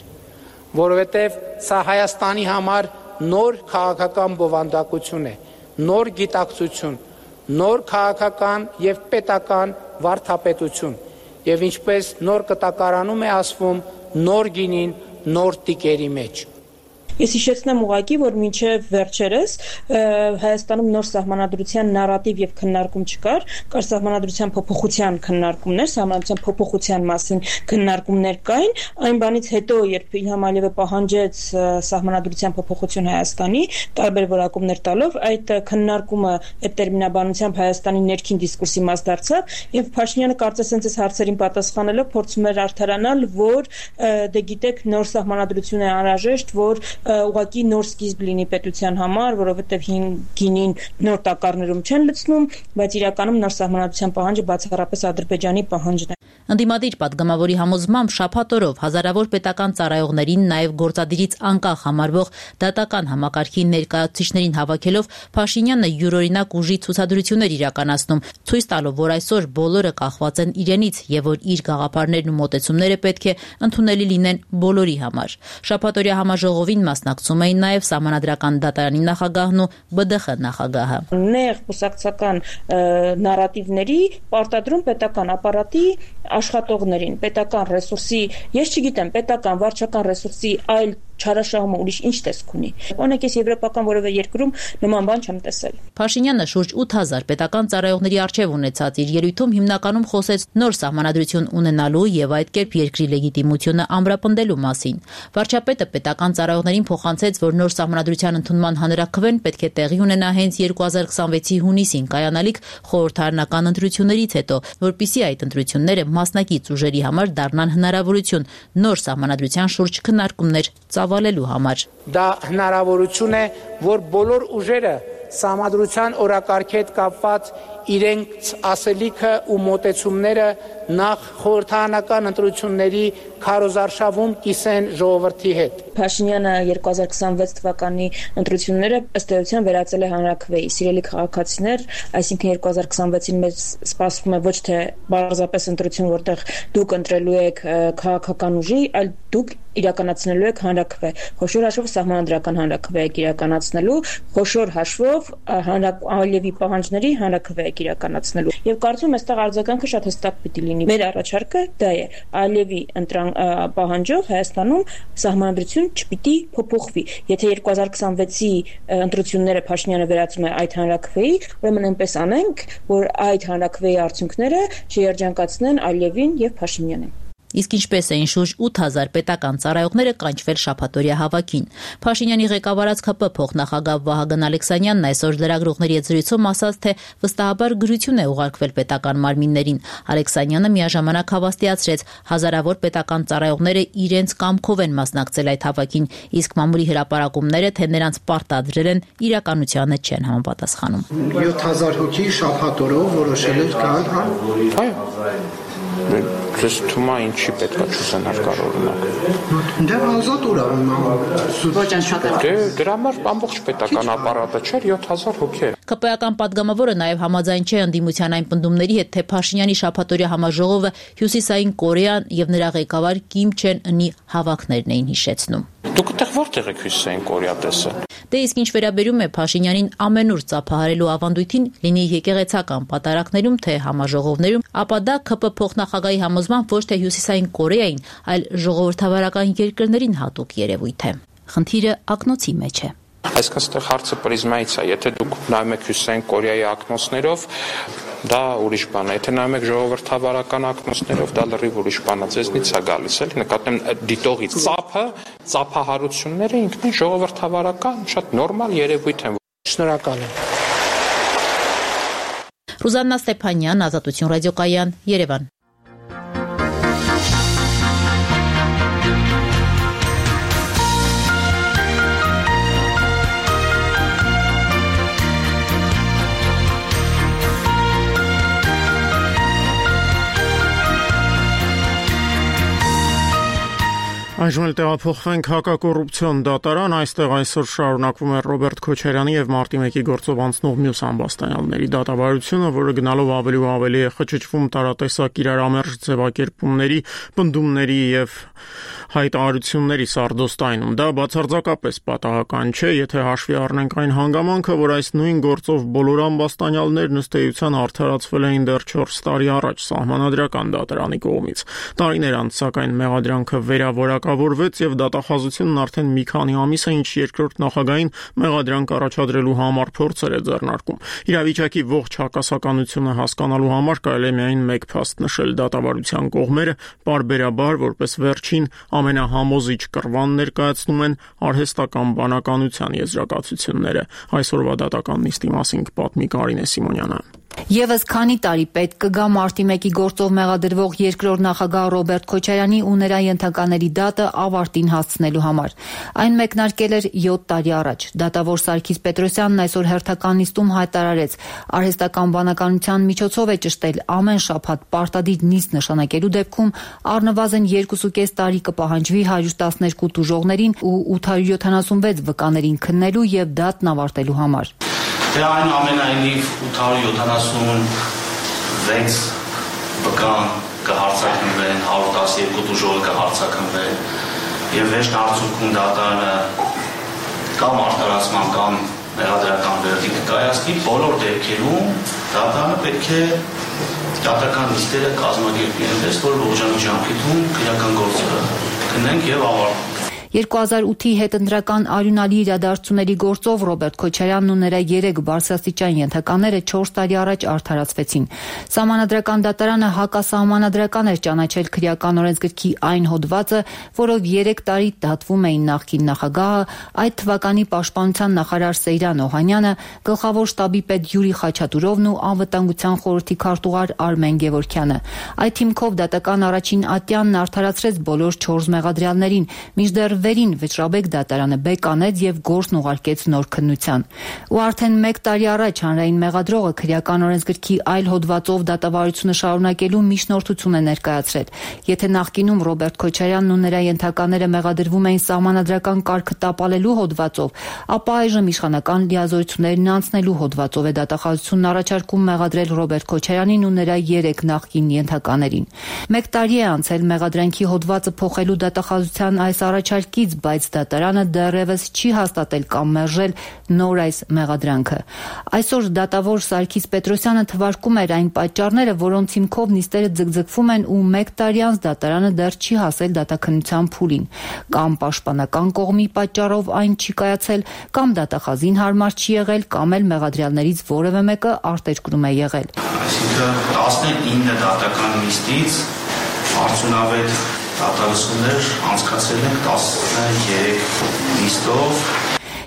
որովհետեւ սա Հայաստանի համար նոր քաղաքական բովանդակություն է, նոր գիտակցություն, նոր քաղաքական եւ պետական վարդապետություն, եւ ինչպես նոր կտակարանում է ասվում, նոր գինին նոր տիկերի մեջ։ Ես հիշեցնեմ ուղղակի, որ մինչև վերջերս Հայաստանում նոր սահմանադրության նարատիվ եւ քննարկում չկար, կար սահմանադրության փոփոխության քննարկումներ, սահմանադրության փոփոխության մասին քննարկումներ կային, այն բանից հետո, երբ Իլհամ Ալիևը պահանջեց սահմանադրության փոփոխություն Հայաստանի, տարբեր որակումներ տալով, այդ քննարկումը այդ տերմինաբանությամբ Հայաստանի ներքին դիսկուրսի մաս դարձավ, եւ Փաշինյանը կարծես հենց այս հարցերին պատասխանելով փորձում էր արդարանալ, որ դե գիտեք, նոր սահմանադրություն է անհրաժեշտ, որ ուղղակի նոր սկիզբ լինի պետության համար, որովհետև գինին նոր տակառներում չեն լցնում, բայց իրականում նոր սահմանադրության պահանջը բացառապես Ադրբեջանի պահանջն է։ Ընդդիմադիր падգամավորի համոզմամբ շաբաթ օրով հազարավոր պետական ծառայողներին, նաև գործադիրից անկախ համարվող դատական համակարգի ներկայացուցիչներին հավաքելով Փաշինյանը յուրօրինակ ուժի ցուցադրություններ իրականացնում, ցույց տալով, որ այսօր բոլորը կախված են իրենից եւ որ իր գաղափարներն ու մոտեցումները պետք է ընդունելի լինեն բոլորի համար։ Շաբաթօրյա համաժողովին մասնակցում էին նաև Սահմանադրական դատարանի նախագահն ու B D X նախագահը։ Նեղ կուսակցական նարատիվների պարտադրում պետական ապարատի աշխատողներին, պետական ռեսուրսի, ես չգիտեմ, պետական վարչական ռեսուրսի այլ չարաշահումը ուրիշ ինչ տեսք ունի։ Օրինակ ես եվրոպական որևէ երկրում նման բան չեմ տեսել։ Փաշինյանը շուրջ ութ հազար պետական ծառայողների առջև ունեցած իր ելույթում հիմնականում խոսեց նոր սահմանադրություն ունենալու եւ այդ կերպ երկրի լեգիտիմությունը ամրապնդելու մասին։ Վարչապետը պետական ծառայողներին փոխանցեց, որ նոր սահմանադրության ընդունման հանրաքվեն պետք է տեղի ունենա հենց երկու հազար քսանվեցի հունիսին կայանալիք խորհրդարանական ընտրություններից հետո, որպիսի այդ ընտրությունները մասնակից ուժերի համար դառնան հնարավորություն նոր սահմանադրության շուրջ քննարկումներ ծավալելու համար։ Դա հնարավորություն է, որ բոլոր ուժերը սահմանադրության օրակարգի հետ կապված իրենց ասելիքը ու մոտեցումները նախ խորհրդարանական ընտրությունների քարոզարշավում կիսեն ժողովրդի հետ։ Փաշինյանը երկու հազար քսանվեց թվականի ընտրությունները ըստ էության վերածել է հանրաքվեի։ Սիրելի քաղաքացիներ, այսինքն երկու հազար քսանվեցին մեզ սպասվում է ոչ թե բարձրապես ընտրություն, որտեղ դուք ընտրելու եք քաղաքական ուժի, այլ դուք իրականացնելու եք հանրաքվե։ Խոշոր հաշվով սահմանադրական հանրաքվե եք իրականացնելու, խոշոր հաշվով Ալիևի պահանջների հանրաքվե եք իրականացնելու։ Եվ կարծում եմ այստեղ արձագանքը շատ հստակ պիտի լինի։ Մեր առաջարկը դա է. Ալիևի պահանջով Հայաստանում սահմանադրություն չպիտի փոփոխվի։ Եթե երկու հազար քսանվեցի ընտրությունները Փաշինյանը վերածում է այդ հանրաքվեի, ուրեմն այնպես անենք, որ այդ հանրաքվեի արդյունքները չերջանկացնեն Ալիևին եւ Փաշինյանին։ Իսկ ինչպես էին շուրջ ութ հազար պետական ծառայողները կանչվել շաբաթօրյա հավաքին։ Փաշինյանի ղեկավարած ՔՊ փոխնախագահ Վահագն Ալեքսանյանն այսօր լրագրողների հետ զրույցում ասաց, թե վստահաբար գրություն է ուղարկվել պետական մարմիններին։ Ալեքսանյանը միաժամանակ հավաստիացրեց, հազարավոր պետական ծառայողները իրենց կամքով են մասնակցել այդ հավաքին, իսկ մամուլի հրապարակումները, թե նրանց պարտադրել են, իրականությանը չեն համապատասխանում։ յոթ հազար հոգի շաբաթօրով որոշել էր գալ, հա։ Ձեզ թվում է ինչի պետք է չուսանար կարողանալ։ Դե ազատ ուր ոչ անշատը։ Դե դրա համար ամբողջ պետական ապարատը չէր յոթ հազար հոգի էր։ ԿՊ-ական падգամավորը նաև համաձայն չէ ընդդիմության այն պնդումների հետ, թե Փաշինյանի շաբաթօրյա համաժողովը Հյուսիսային Կորեան եւ նրա ղեկավար Կիմ Չեն Ընի հավաքներն էին հիշեցնում։ Դուք այդտեղ որտեղ եք Հյուսիսային Կորեա տեսել։ Դե իսկ ինչ վերաբերում է Փաշինյանին ամենուր ծափահարելու ավանդույթին, լինի եկեղեցական պատարակներում, թե համաժողովներում, ապա դա ՔՊ փոխնախագահի համոզմամբ ոչ թե Հյուսիսային Կորեային, այլ ժողովրդավարական երկրներին հատուկ երևույթ է։ Խնդիրը ակնոցի մեջ է։ Այսինքն այստեղ հարցը պրիզմայից է, եթե դուք նայում եք Հյուսիսային Կորեայի ակնոցներով, դա ուրիշ բան է, եթե նայում եք ժողովրդավարական ակնոցներով, դա լրիվ ուրիշ բան է, ձեզնից է գալիս, էլի, նկատեմ դիտողի ծափը, ծափահարությունները ինքնին ժողովրդավարական շատ նորմալ երևույթ են։ Շնորհակալ եմ։ Ռուզաննա Ստեփանյան, Ազատություն ռադիոկայան, Երևան։ Այժմ էլ տեղափոխվենք հակակոռուպցիոն դատարան, այստեղ այսօր շարունակվում է Ռոբերտ Քոչարյանի եւ Մարտի մեկի գործով անցնող մյուս ամբաստանյալների դատավարությունը, որը գնալով ավելի ու ավելի է խճճվում տարատեսակ իրարամերժ ձևակերպումների, պնդումների եւ հայտարարությունների սարդոստայնում։ Դա բացարձակապես պատահական չէ, եթե հաշվի առնենք այն հանգամանքը, որ այս նույն գործով բոլոր ամբաստանյալներն ըստ էության արդարացվել էին դեռ չորս տարի առաջ սահմանադրական դատարանի կողմից։ Տարիներ անց սակայն մեղադրանքը վերավորակավորվեց եւ դատախազությունն արդեն մի քանի ամիս է, ինչ երկրորդ նախագահին մեղադրանք առաջադրելու համար փորձեր է ձեռնարկում։ Իրավիճակի ողջ հակասականությունը հասկանալու համար կարելի է միայն մեկ փաստ նշել՝ դատավարության կողմերը պարբերաբար որպես վերջին ամենահամոզիչ կռվան ներկայացնում են արհեստական բանականության եզրակացությունները։ Այսօրվա դատական նիստի մասին կպատմի Կարինե Սիմոնյանը։ Եվս քանի տարի պետք կգա Մարտի մեկի գործով մեղադրվող երկրորդ նախագահ Ռոբերտ Քոչարյանի ու նրա ենթակաների դատը ավարտին հասցնելու համար։ Այն մեկնարկել էր յոթ տարի առաջ։ Դատավոր Սարգիս Պետրոսյանն այսօր հերթական նիստում հայտարարեց, արհեստական բանականության միջոցով է ճշտել ամեն շաբաթ պարտադիր նիստ նշանակելու դեպքում առնվազն երկուսուկես տարի կպահանջվի հարյուր տասներկու տուժողներին ու ութ հարյուր յոթանասունվեց վկաներին քննելու եւ դատն ավարտելու համար։ Դե այն ամենայնիվ ութ հարյուր յոթանասունվեց վկան կհարցակնվեն, հարյուր տասներկու տուժողը կհարցակնվեն եւ վերջն արդյունքում դատարանը կամ արտարացման կամ մեղադրական վերդիկտ կայացնի, բոլոր դեպքերում դատարանը պետք է դատական նիստերը կազմակերպի այնպես, որ ողջամիտ ժամկետում քրեական գործը քննենք եւ ավարտենք։ երկու հազար ութի հետընտրական արյունալի իրադարձությունների գործով Ռոբերտ Քոչարյանն ու նրա երեք բարձրաստիճան ենթակաները չորս տարի առաջ արդարացվեցին։ Սահմանադրական դատարանը հակասահմանադրական էր ճանաչել քրեական օրենսգրքի այն հոդվածը, որով երեք տարի դատվում էին նախկին նախագահը, այդ թվականի պաշտպանության նախարար Սեյրան Օհանյանը, գլխավոր շտաբի պետ Յուրի Խաչատուրովն ու անվտանգության խորհրդի քարտուղար Արմեն Գևորգյանը։ Այդ հիմքով դատական առաջին ատյանն արդարացրեց բոլոր չորս մեղադրյալներին, մինչդեռ վերին Վճռաբեկ դատարանը բեկանեց եւ գործն ուղարկեց նոր քննության։ Ու արդեն մեկ տարի առաջ հանրային մեղադրողը քրեական օրենսգրքի այլ հոդվածով դատավարությունը շարունակելու միջնորդություն է ներկայացրել։ Եթե նախկինում Ռոբերտ Քոչարյանն ու նրա ենթակաները մեղադրվում էին սահմանադրական կարգը տապալելու հոդվածով, ապա այժմ իշխանական լիազորություններն անցնելու հոդվածով է դատախազությունն առաջարկում մեղադրել Ռոբերտ Քոչարյանին ու նրա երեք նախկին ենթականերին։ Մեկ տարի է անցել մեղադրանքի հոդվածը փոխելու դատախազության այս առաջարկից, բայց դատարանը դեռևս չի հաստատել կամ մերժել նոր այս մեղադրանքը։ Այսօր դատավոր Սարգիս Պետրոսյանը թվարկում էր այն պատճառները, որոնց հիմքով նիստերը ձգձգվում են ու մեկ տարի անց դատարանը դեռ չի հասել դատաքննության փուլին։ Կամ պաշտպանական կողմի պատճառով այն չի կայացել, կամ դատախազին հարմար չի եղել, կամ էլ մեղադրյալներից որևէ մեկը արտերկրում է եղել։ Այսինքն տասնինը դատական նիստից արդյունավետ դատալսումներ անցկացել ենք տասներեք նիստով։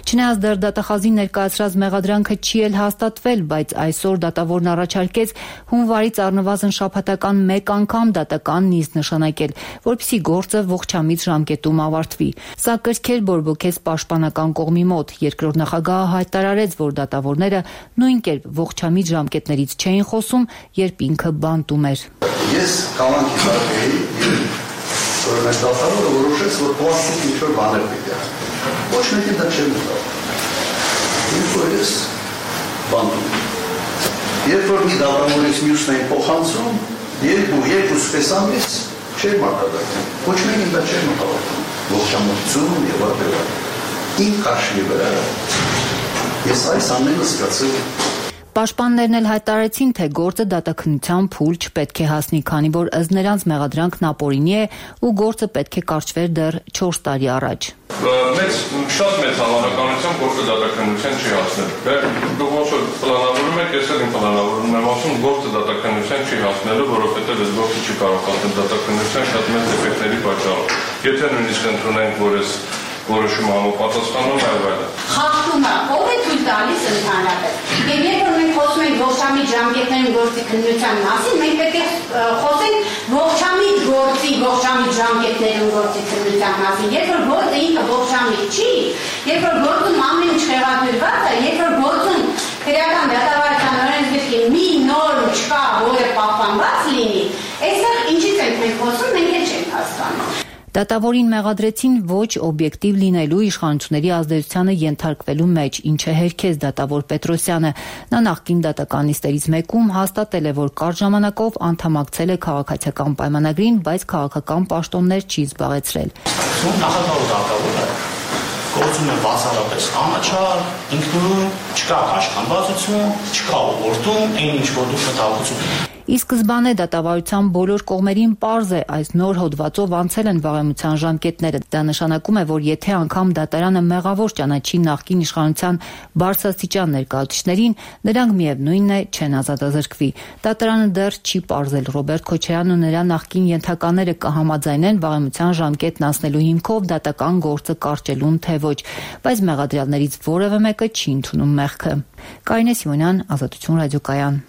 Չնայած դեռ դատախազին ներկայացրած մեղադրանքը չի էլ հաստատվել, բայց այսօր դատավորն առաջարկեց հունվարից առնվազն շաբաթական մեկ անգամ դատական նիստ նշանակել, որպեսզի գործը ողջամիտ ժամկետում ավարտվի։ Սա կրքեր բորբոքեց պաշտպանական կողմի մոտ։ Երկրորդ նախագահը հայտարարեց, որ դատավորները նույն կերպ ողջամիտ ժամկետներից չէին խոսում, երբ ինքը բանտում էր։ Ես կամանքի տարբերի, որ մեր դատավորը որոշեց, որ պլաստիկ ինչ-որ բաներ պետք է։ Ոչ մեկը դա չէր մտավ։ Ինչ որ ես բանում։ Երբ որ մի դատավորից մյուսն էին փոխանցում, երկու երկու սպեսամից չէր մարտադակում։ Ոչ մեկին դա չէր մտավ։ Ողջամտություն եւ այլն։ Իմ քաշի վրա ես այս ամենը զգացել։ Պաշտպաններն էլ հայտարարեցին, թե գործը դատաքննության փուլ չպետք է հասնի, քանի որ ըստ նրանց մեղադրանքն ապօրինի է ու գործը պետք է կարճվեր դեռ չորս տարի առաջ։ Մեծ շատ մեծ հավանականությամբ գործը դատաքննության չի հասնել։ Դուք ոնց որ պլանավորում եք, ես էլ իմ պլանավորումն եմ ասում, գործը դատաքննության չի հասնելու, որովհետև այս գործը չի կարող հասնել դատաքննության շատ մեծ դեֆեկտների պատճառով։ Եթե նույնիսկ ընդունենք, որ այս որոշումը համապատասխանում է այլ։ Խախտումը ով է թույլ տալիս ընդհանրապես։ Եվ երբ որ մենք խոսում ենք ողջամիտ ժամկետներում գործի քննության մասին, մենք պետք է խոսենք ողջամիտ գործի, ողջամիտ ժամկետներում գործի քննության մասին։ Երբ որ գործը ինքը ողջամիտ չի, երբ որ գործում ամեն ինչ խեղաթյուրված է, երբ որ գործում քրեական դատավարության օրենսգրքի մի նորմ չկա, որը պահպանված լինի, այստեղ ինչից ենք մենք խոսում, մենք էլ չենք հասկանում։ Դատավորին մեղադրեցին ոչ օբյեկտիվ լինելու իշխանությունների ազդեցությանը ենթարկվելու մեջ, ինչը հերքեց դատավոր Պետրոսյանը։ Նա նախկին դատական նիստերից մեկում հաստատել է, որ կարճ ժամանակով անդամակցել է քաղաքացիական պայմանագրին, բայց քաղաքական պաշտոններ չի զբաղեցրել։ Նախագահ դատավորը գործում է բացառապես անաչառ, ինքնուրույն, չկա աշխատվածություն, չկա ուղղորդում, այն ինչ որ դուք մտահոգություն։ Ի սկզբանե դատավարության բոլոր կողմերին պարզ է, այս նոր հոդվածով անցել են վաղեմության ժամկետները։ Դա նշանակում է, որ եթե անգամ դատարանը մեղավոր ճանաչի նախկին իշխանության բարձրաստիճան ներկայացուցիչներին, նրանք միևնույնն է չեն ազատազրկվի։ Դատարանը դեռ չի պարզել Ռոբերտ Քոչարյանն ու նրա նախկին ենթակաները կհամաձայնեն վաղեմության ժամկետն անցնելու հիմքով դատական գործը կարճելուն, թե ոչ, բայց մեղադրյալներից որևէ մեկը չի ընդունում մեղքը։ Կարինե Սիմոնյան, Ազատություն ռադիոկայան։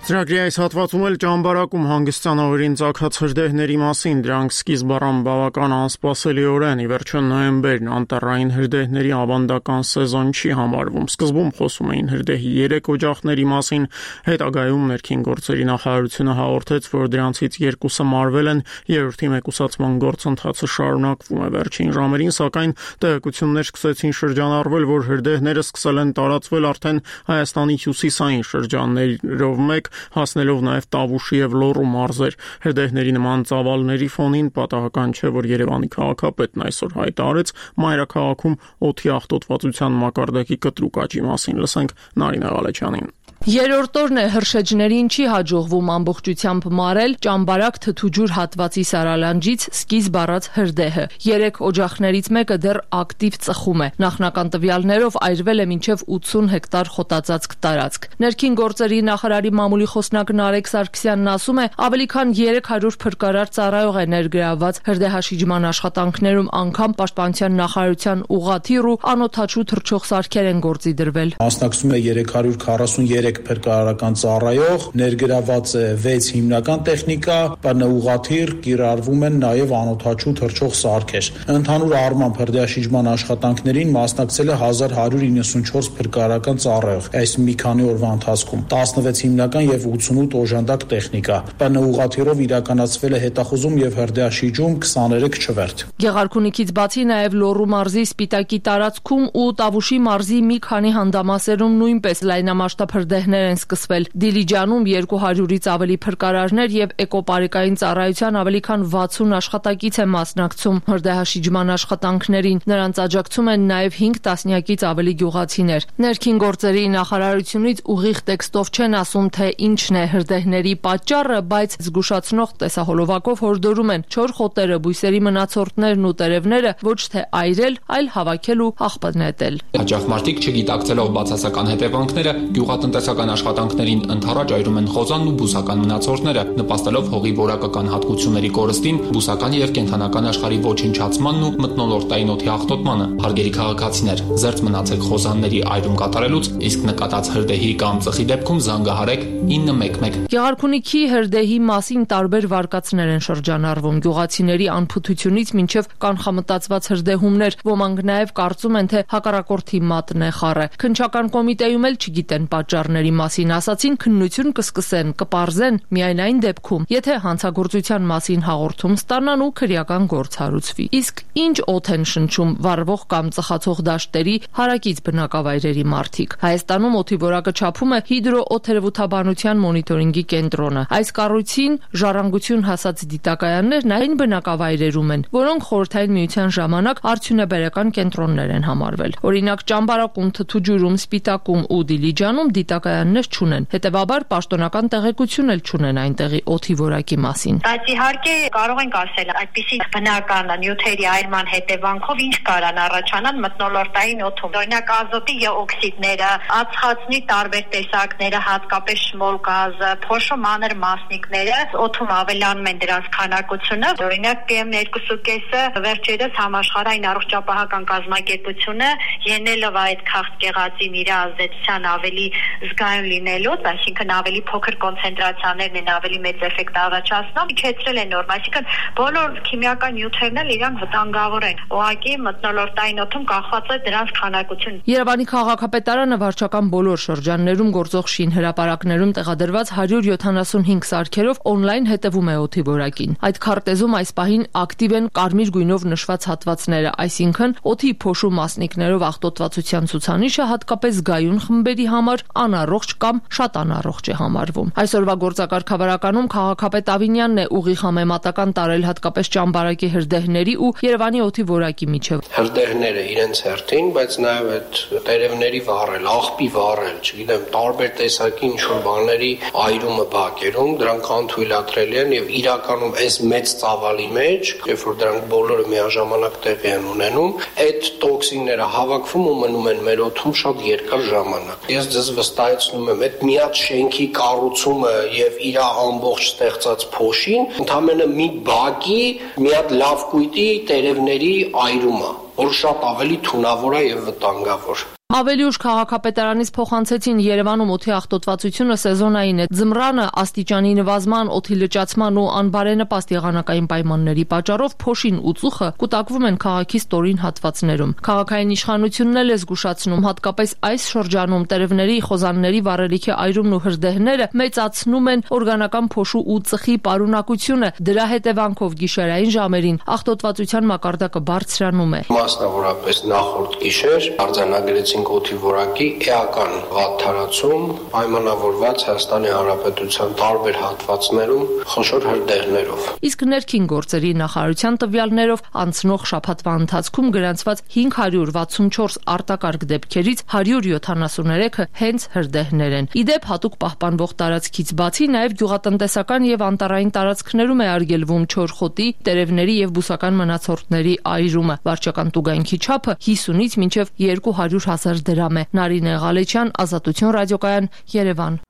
Ծրագրի այս հատվածում էլ ճամբարակում հանգստյան օրերին ծագած հրդեհների մասին, դրանք սկիզբ առան բավական անսպասելիորեն, ի վերջո նոյեմբերն անտառային հրդեհների ավանդական սեզոն չի համարվում։ Սկզբում խոսում էին հրդեհի երեք օջախների մասին, հետագայում ներքին գործերի նախարարությունը հաղորդեց, որ դրանցից երկուսը մարվել են, երրորդի մեկուսացման գործընթացը շարունակվում է։ Վերջին ժամերին, սակայն, տեղեկություններ սկսեցին շրջանառվել, որ հրդեհները սկսել են տարածվել արդեն Հայաստանի հյուսիսային շրջաններով մեկ հասնելով նաև Տավուշի եւ Լոռու մարզեր։ Հրդեհների նման ծավալների ֆոնին պատահական չէ, որ Երևանի քաղաքապետն այսօր հայտարարեց մայրաքաղաքում օդի աղտոտվածության մակարդակի կտրուկ աճի մասին։ Լսենք Նարինե Ղալեչյանին։ Երրորդ օրն է հրշեջներին չի հաջողվում ամբողջությամբ մարել Ճամբարակ Թթուջուր հատվածի Սարալանջից սկիզբ առած հրդեհը։ Երեք օջախներից մեկը դեռ ակտիվ ծխում է։ Նախնական տվյալներով այրվել է մինչև ութսուն հեկտար խոտածածկ տարածք։ Ներքին գործերի նախարարի մամուլի խոսնակ Նարեկ Սարգսյանն ասում է, ավելի քան երեք հարյուր փրկարար ծառայող է ներգրավված հրդեհաշիջման աշխատանքներում, անգամ Պաշտպանության նախարարության ուղղաթիռ ու անօդաչու թռչող սարքեր են գործի դրվել։ Մասնակցում է երեք հարյուր քառասուններեք փրկարարական ծառայող, ներգրաված է վեց հիմնական տեխնիկա, բնաուղաթիռ, կիրառվում են նաև անօդաչու թռչող սարքեր։ Ընդհանուր առմամբ հրդեհաշիջման աշխատանքներին մասնակցել է հազար հարյուր իննսունչորս փրկարարական ծառայող այս մի քանի օրվա ընթացքում, տասնվեց հիմնական եւ ութսունութ օժանդակ տեխնիկա։ Բնաուղաթիռով իրականացվել է հետախուզում եւ հրդեհաշիջում քսաներեք չվերթ։ Գեղարքունիքից բացի նաև Լոռու մարզի Սպիտակի տարածքում ու Տավուշի մարզի մի քանի հանդամասերում նույնպես լայնամասշտաբ հրդեհներ են սկսվել։ Դիլիջանում երկու հարյուրից ավելի փրկարարներ եւ էկոպարիկային ծառայության ավելի քան վաթսուն աշխատակից է մասնակցում հրդեհաշիջման աշխատանքներին։ Նրանց աջակցում են նաև հինգ տասնյակից ավելի գյուղացիներ։ Ներքին գործերի նախարարությունից ուղիղ տեքստով չեն ասում, թե ինչն է հրդեհների պատճառը, բայց զգուշացնող տեսահոլովակով հորդորում են չոր խոտերը, բույսերի մնացորդներն ու տերևները ոչ թե այրել, այլ հավաքել ու աղբ նետել։ Հաճախ մարդիկ չգիտակցելով բացասական հետևանքները գյուղատնտեսական աշխատանքներին ընդառաջ այրում են խոզանն ու բուսական մնացորդները, նպաստելով հողի որակական հատկությունների կորստին, բուսական եւ կենդանական աշխարհի ոչնչացմանն ու մթնոլորտային օդի աղտոտմանը։ Հարգելի քաղաքացիներ, զերծ մնացեք խոզանների այրում կատարելուց, իսկ նկատած հրդեհի կամ ծխի դեպքում զանգահարեք ինը մեկ մեկ։ Գեղարքունիքի հրդեհի մասին տարբեր վարկածներ են շրջանառվում, գյուղացիների անփութությունից մինչև կանխամտածված հրդեհումներ, ոմանք նաև կարծում են, թե հակառակորդի մատն է խառը։ Քննչական կոմիտեում էլ չգիտեն պատճառների մասին, ասացին քննություն կսկսեն, կպարզեն միայն այն դեպքում, եթե հանցագործության մասին հաղորդում ստանան ու քրեական գործ հարուցվի։ Իսկ ինչ օդ են շնչում վառվող կամ ծխացող դաշտերի հարակից բնակավայրերի մարդիկ։ Հայաստանում օդի որակը չափում է հիդրոօթերևութաբանության մոնիտորինգի կենտրոնը։ Այս կառույցին ժառանգություն հասած դիտակայաններն այն բնակավայրերում են, որոնք խորհրդային միության ժամանակ արդյունաբերական կենտրոններ են համարվել։ Օրինակ Ճամբարակում, Թթուջուրում, Սպիտակում ու Դիլիջանում դիտակայաններ չունեն։ Հետևաբար պաշտոնական տեղեկություն էլ չունեն այնտեղի օդի որակի մասին։ Բայց իհարկե կարող ենք ասել, այդպիսի բնական նյութերի այրման հետևանքով ինչ կարան առաջանալ մթնոլորտային օդում։ Օրինակ ազոտի եւ օքսիդները, ածխածնի տարբեր տեսակները, հատկապես շմոլ գազը, փոշու մանր մասնիկները օդում ավելանում են դրանց քանակությունը։ Օրինակ պի էմ երկու կեսը վերջերս համաշխարհային առողջապահական կազմակերպությունը ելնելով այդ քաղցկեղածին իր ազդեցության ավելի զգայուն լինելուց, այսինքն ավելի փոքր կոնցենտրացիաներն են ավելի մեծ էֆեկտ առաջացնում, իջեցրել են նորմ, այսինքն բոլոր քիմիական նյութերն էլ իրան վտանգավոր են։ Ուղղակի մթնոլորտային օդում կախված է դրանց քանակությունը։ Երևանի քաղաքապետարանը վարչական բոլոր շրջաններում գործող շինհրապարակներում տեղադրված հարյուր յոթանասունհինգ սարքերով օնլայն հետևում է օդի որակին։ Այդ քարտեզում այս պահին ակտիվ են կարմիր գույնով նշված հատվածները, այսինքն օդի փոշու մասնիկներով աղտոտվածության ցուցանիշը հատկապես զգայուն խմբերի համար անառողջ կամ շատ անառողջ է համարվում։ Այսօրվա գործակարգավարականում քաղաքապետ Ավինյանն է ուղիղ համեմատական տարել հատկապես Ճամբարակի հրդեհների ու Երևանի օդի որակի միջև։ Հրդեհները իրենց հերթին, բայց նաև այդ տերևների վառել, աղբի վառել, չգիտեմ, տարբեր տեսակի ինչ-որ բաների այրումը բակերում, դրանք անթույլատրելի են եւ իրականում այս մեծ ծավալի մեջ, երբ որ դրանք բոլորը միաժամանակ տեղի են ունենում, այդ տոքսինները հավաքվում ու մնում են մեր օդում շատ երկար ժամանակ։ Ես ձեզ վստահեցնում եմ, այդ միած շենքի կառուցումը եւ իր ամբողջ ստեղծած փոշին ընդամենը մի բակի մի հատ լավ կույտի տերևների այրումը, որ շատ ավելի թունավոր է եւ վտանգավոր։ Ավելի ուշ քաղաքապետարանից փոխանցեցին Երևանում օդի աղտոտվածությունը սեզոնային է։ Ձմռանը աստիճանի նվազման, օդի լճացման ու անբարենպաստ եղանակային պայմանների պատճառով փոշին ու ծուխը կուտակվում են քաղաքի ստորին հատվածներում։ Քաղաքային իշխանությունն էլ է զգուշացնում, հատկապես այս շրջանում տերևների, խոզանների վառելիքի այրումն ու հրդեհները մեծացնում են օրգանական փոշու ու ծխի պարունակությունը։ Դրա հետևանքով գիշերային ժամերին աղտոտվածության մակարդակը բարձրանում է։ Մասնավորապես նախորդ գիշեր արձանագրեցին եկեղեցին օդի որակի էական վատթարացում, պայմանավորված Հայաստանի Հանրապետության տարբեր հատվածներում խոշոր հրդեհներով։ Իսկ ներքին գործերի նախարարության տվյալներով անցնող շաբաթվա ընթացքում գրանցված հինգ հարյուր վաթսունչորս արտակարգ դեպքերից հարյուր յոթանասուներեքը հենց հրդեհներ են։ Իդեպ հատուկ պահպանվող տարածքից բացի նաև գյուղատնտեսական եւ անտառային տարածքներում է արգելվում չորխոտի, տերևների եւ բուսական մնացորդների այրումը։ Վարչական տուգանքի չափը հիսունից մինչև երկու հարյուր հազար դրամ է։ Նարինե Ղալեչյան, Ազատություն ռադիոկայան, Երևան։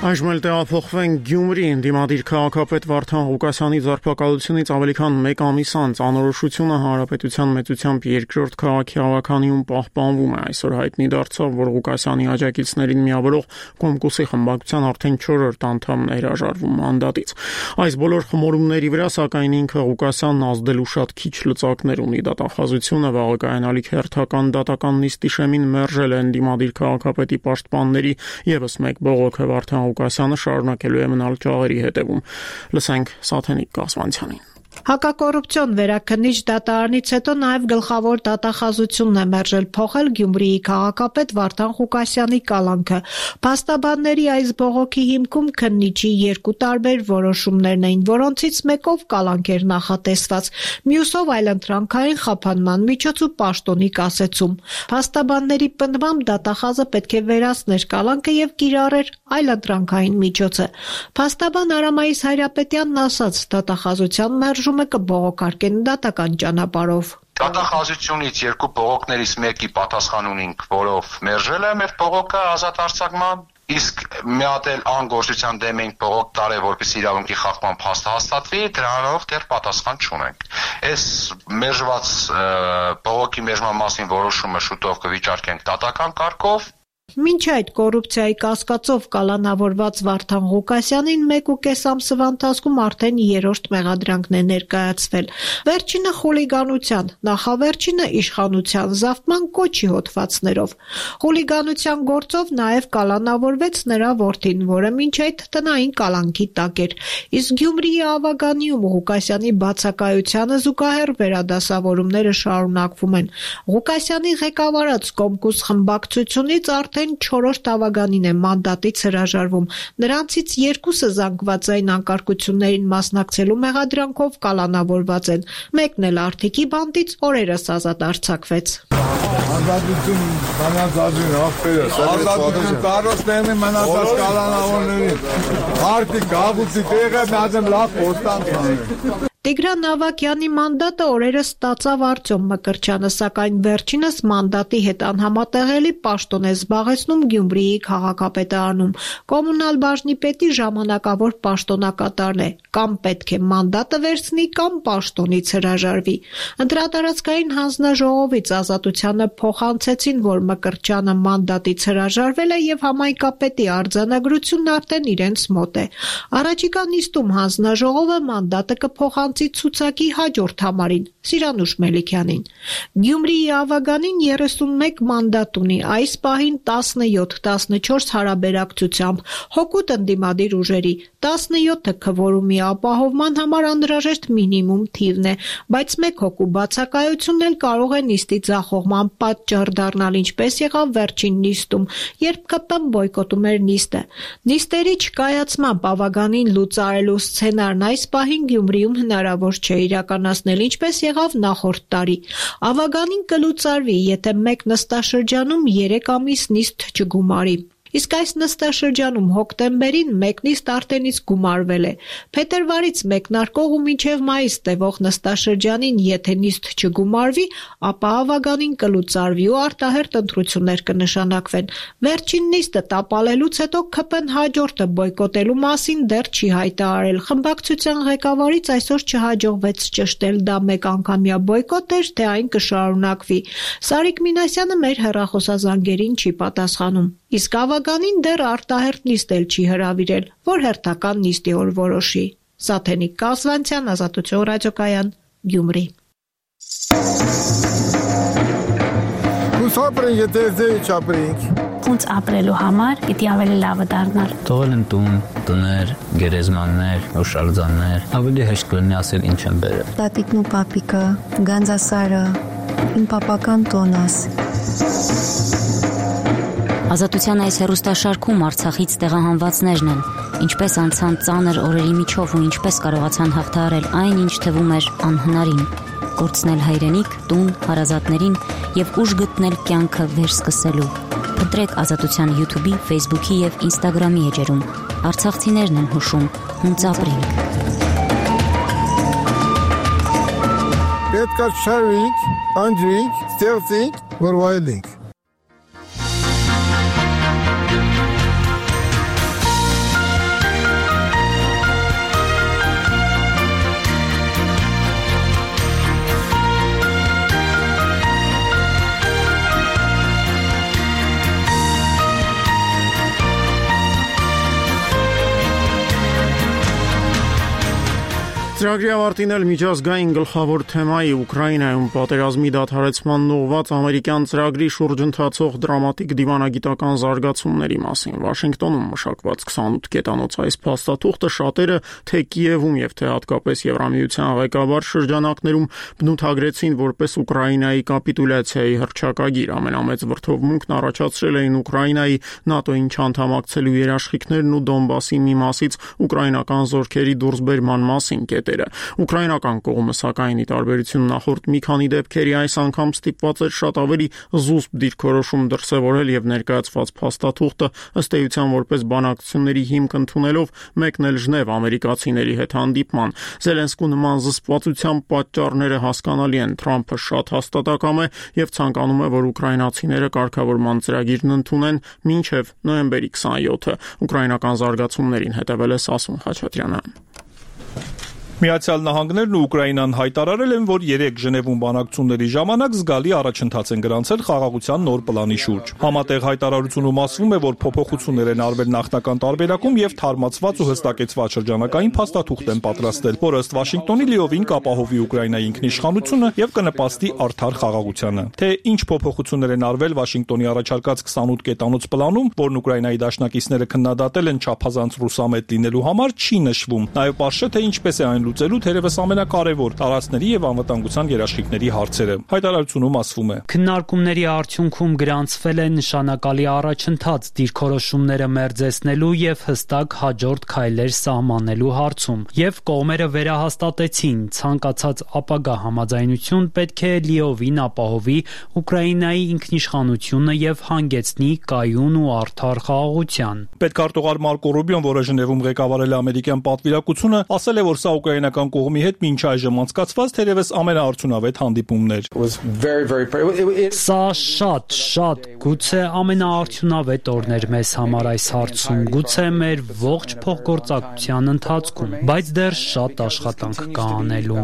Այժմ էլ տեղափոխվենք Գյումրի, ընդդիմադիր քաղաքապետ Վարդան Ղուկասյանի ձերբակալությունից ավելի քան մեկ ամիս անց անորոշությունը հանրապետության մեծությամբ երկրորդ քաղաքի ավականիում պահպանվում է։ Այսօր հայտնի դարձավ, որ Ղուկասյանի աջակիցներին միավորող Կոմկուսի խմբակցության արդեն չորրորդ անդամն է հրաժարվում մանդատից։ Այս բոլոր խմորումների վրա սակայն ինքը Ղուկասյանն ազդելու շատ քիչ լծակներ ունի։ Դատախազությունը վաղը կայանալիք հերթական դատական նիստի շեմին մերժել է ընդդիմադիր քաղաքապետի պաշտպանների ևս մեկ բողոքը Վարդան Ղուկասյանը շարունակելու է մնալ ճաղերի հետևում։ Լսենք Սաթենիկ Կասմանցյանին։ Հակակոռուպցիոն վերաքննիչ դատարանից հետո նաև գլխավոր դատախազությունն է մերժել փոխել Գյումրիի քաղաքապետ Վարդան Ղուկասյանի կալանքը։ Փաստաբանների այս բողոքի հիմքում քննիչի երկու տարբեր որոշումներն էին, որոնցից մեկով կալանք էր նախատեսված, մյուսով այլընտրանքային խափանման միջոց ու պաշտոնի կասեցում։ Փաստաբանների պնդմամբ դատախազը պետք է վերացներ կալանքը եւ կիրառեր այլընտրանքային միջոցը։ Փաստաբան Արամայիս Հայրապետյանն ասաց, դատախազության մերժումը կբողոքարկեն դատական ճանապարհով։ Դատախազությունից երկու բողոքներից մեկի պատասխան ունենք, որով մերժել է մեր բողոքը ազատ արձակման, իսկ մի հատ էլ անգործության դեմ ենք բողոք տարել, որպեսզի իրավունքի խախտման փաստ հաստատվի, դրանով դեռ պատասխան չունենք։ Այս մերժված բողոքի մերժման մասին որոշումը շուտով կվիճարկենք դատական կարգով։ Մինչ այդ կոռուպցիայի կասկածով կալանավորված Վարդան Ղուկասյանին մեկ ու կես ամսվա ընթացքում արդեն երրորդ մեղադրանքն է ներկայացվել։ Վերջինը խուլիգանության, նախավերջինը իշխանության զավթման կոչի հոդվածներով։ Խուլիգանության գործով նաև կալանավորվեց նրա որդին, որը մինչ այդ տնային կալանքի տակ էր։ Իսկ Գյումրիի ավագանիում Ղուկասյանի բացակայությանը զուգահեռ վերադասավորումները շարունակվում են։ Ղուկասյանի ղեկավարած Կոմկուս խմբակցությունից արդեն չորրորդ ավագանին է մանդատից հրաժարվում։ Նրանցից երկուսը զանգվածային անկարգություններին մասնակցելու մեղադրանքով կալանավորված են։ Մեկն էլ Արթիկի բանտից օրերս ազատ արձակվեց։ Ազատություն մնացածին աղբերս, ազատություն կարոստեղնի մնացած կալանավորներին, Արթիկ գաղուցի տեղը մազեմ լավ պոստան տանեն։ Տիգրան Ավագյանի մանդատը օրերս ստացավ Արտյոմ Մկրտչյանը, սակայն վերջինս մանդատի հետ անհամատեղելի պաշտոն է զբաղեցնում Գյումրիի քաղաքապետարանում։ Կոմունալ բաժնի պետի ժամանակավոր պաշտոնակատարն է, կամ պետք է մանդատը վերցնի, կամ պաշտոնից հրաժարվի։ Ընտրատարածքային հանձնաժողովից Ազատությանը փոխանցեցին, որ Մկրտչյանը մանդատից հրաժարվել է եւ համայնքապետի արձանագրությունն արդեն իրենց մոտ է։ Առաջիկա նիստում հանձնաժողովը մանդատը կփոխանցի ցուցակի հաջորդ համարին Սիրանուշ Մելիքյանին։ Գյումրիի ավագանին երեսունմեկ մանդատ ունի, այս պահին տասնյոթ տասնչորս հարաբերակցությամբ, հօգուտ ընդդիմադիր ուժերի, տասնյոթը քվորումի ապահովման համար անհրաժեշտ մինիմում թիվն է, բայց մեկ հոգու բացակայությունն էլ կարող է նիստի ձախողման պատճառ դառնալ, ինչպես եղավ վերջին նիստում, երբ ԿՊ-ն բոյկոտում էր նիստը։ Նիստերի չկայացմամբ ավագանին լուծարելու սցենարն այս պահին Գյումրիում հնարավոր չէ իրականացնել, ինչպես եղավ նախորդ տարի։ Ավագանին կլուծարվի, եթե մեկ նստաշրջանում երեք ամիս նիստ չգումարի։ Իսկ այս նստաշրջանում հոկտեմբերին մեկ նիստ արդեն իսկ գումարվել է։ Փետրվարից մեկնարկող ու մինչև մայիս տևող նստաշրջանին եթե նիստ չգումարվի, ապա ավագանին կլուծարվի ու արտահերթ ընտրություններ կնշանակվեն։ Վերջին նիստը տապալելուց հետո ԿՊ-ն հաջորդը բոյկոտելու մասին դեռ չի հայտարարել։ Խմբակցության ղեկավարից այսօր չհաջողվեց ճշտել դա մեկ անգամյա բոյկոտ էր, թե այն կշարունակվի։ Սարիկ Մինասյանը մեր հեռախոսազանգերին չի պատասխանում։ Իսկ նախագահին դեռ արտահերթ նիստ էլ չի հրավիրել, որ հերթական նիստի օր որոշի։ Սաթենիկ Կազվանցյան, Ազատություն ռադիոկայան, Գյումրի։ Ուսապրին եթե չապրինք։ Ոնց ապրելու համար պիտի ավելի լավը դառնալ։ Թողել են տուն, տներ, գերեզմաններ, օշալձաններ, ավելի հեշտ կլինի ասել ինչ են բերել։ Տատիկն ու պապիկը, Գանձասարը, իմ պապական տոնս։ Ազատության այս հեռուստաշարքում Արցախից տեղահանվածներն են, ինչպես անցան ծանր օրերի միջով ու ինչպես կարողացան հաղթահարել այն, ինչ թվում էր անհնարին, կորցնել հայրենիք, տուն, հարազատներին եւ ուժ գտնել կյանքը վերսկսելու։ Փնտրեք Ազատության YouTube-ի, Facebook-ի եւ Instagram-ի էջերում։ Արցախցիներն են հուշում, ոնց ապրենք։ Պետք է շարվենք, անջրենք, ստեղծենք, որ վայելենք։ Ծրագրի ավարտին էլ միջազգային գլխավոր թեմայի Ուկրաինայում պատերազմի դադարեցման ուղղված ամերիկյան ծրագրի շուրջ ընթացող դրամատիկ դիվանագիտական զարգացումների մասին Վաշինգտոնում մշակված քսանութ կետանոց այս փաստաթուղթը շատերը թե Կիևում եւ թե հատկապես Եվրամիության ղեկավար շրջանակներում բնութագրեցին որպես Ուկրաինայի կապիտուլյացիայի հռչակագիր։ Ամենամեծ վրդովմունքն առաջացրել էին Ուկրաինայի ՆԱՏՕ-ին չանդամակցելու երաշխիքներն ու Դոնբասի մի մասից ուկրաինական զորքերի դուրսբերման մասին կետերը։ Ուկրաինական կողմը սակայն ի տարբերություն նախորդ մի քանի դեպքերի այս անգամ ստիպված էր շատ ավելի զուսպ դիրքորոշում դրսևորել եւ ներկայացված փաստաթուղթը ըստ էության որպես բանակցությունների հիմք ընդունելով մեկնել Ժնև ամերիկացիների հետ հանդիպման։ Զելենսկու նման զսպվածության պատճառները հասկանալի են։ Թրամփը շատ հաստատակամ է եւ ցանկանում է, որ ուկրաինացիները կարգավորման ծրագիրն ընդունեն մինչեւ նոյեմբերի քսանյոթը։ Ուկրաինական զարգացումներին հետևել է Սասուն Խաչատրյանը։ Միացյալ Նահանգներն ու Ուկրաինան հայտարարել են, որ երեք Ժնևում բանակցությունների ժամանակ զգալի առաջընթաց են գրանցել խաղաղության նոր պլանի շուրջ։ Համատեղ հայտարարությունում ասվում է, որ փոփոխություններ են արվել նախնական տարբերակում եւ թարմացված ու հստակեցված շրջանակային փաստաթուղթ են պատրաստել, որը ըստ Վաշինգտոնի լիովին կապահովի Ուկրաինայի ինքնիշխանությունը եւ կնպաստի արդար խաղաղությանը։ Թե ինչ փոփոխություններ են արվել Վաշինգտոնի առաջարկած քսանութ կետանոց պլանում, որն Ուկրաինայի դաշնակիցները քննադատել են չափազանց ռուսամետ լինելու համար, չի նշվում։ Նաեւ պարզ չէ, թե ինչպես է այն լուծելու թերևս ամենակարևոր տարածքների եւ անվտանգության երաշխիքների հարցերը։ Հայտարարությունում ասվում է. Քննարկումների արդյունքում գրանցվել է նշանակալի առաջընթաց դիրքորոշումները մերձեցնելու եւ հստակ հաջորդ քայլեր սահմանելու հարցում, եւ կողմերը վերահաստատեցին ցանկացած ապագա համաձայնություն պետք է լիովին ապահովի Ուկրաինայի ինքնիշխանությունը եւ հանգեցնի կայուն ու արդար խաղաղության։ Պետքարտուղար Մարկո Ռուբիոն, որը Ժնևում ղեկավարել է ամերիկյան պատվիրակությունը, ասել է, որ սա ուկրաինական կողմի հետ մինչ այժմ անցկացված թերևս ամենաարդյունավետ հանդիպումներ։ Սա շատ, շատ, գուցե ամենաարդյունավետ օրն էր մեզ համար այս հարցում, գուցե մեր ողջ փոխգործակցության ընթացքում, բայց դեռ շատ աշխատանք կա անելու։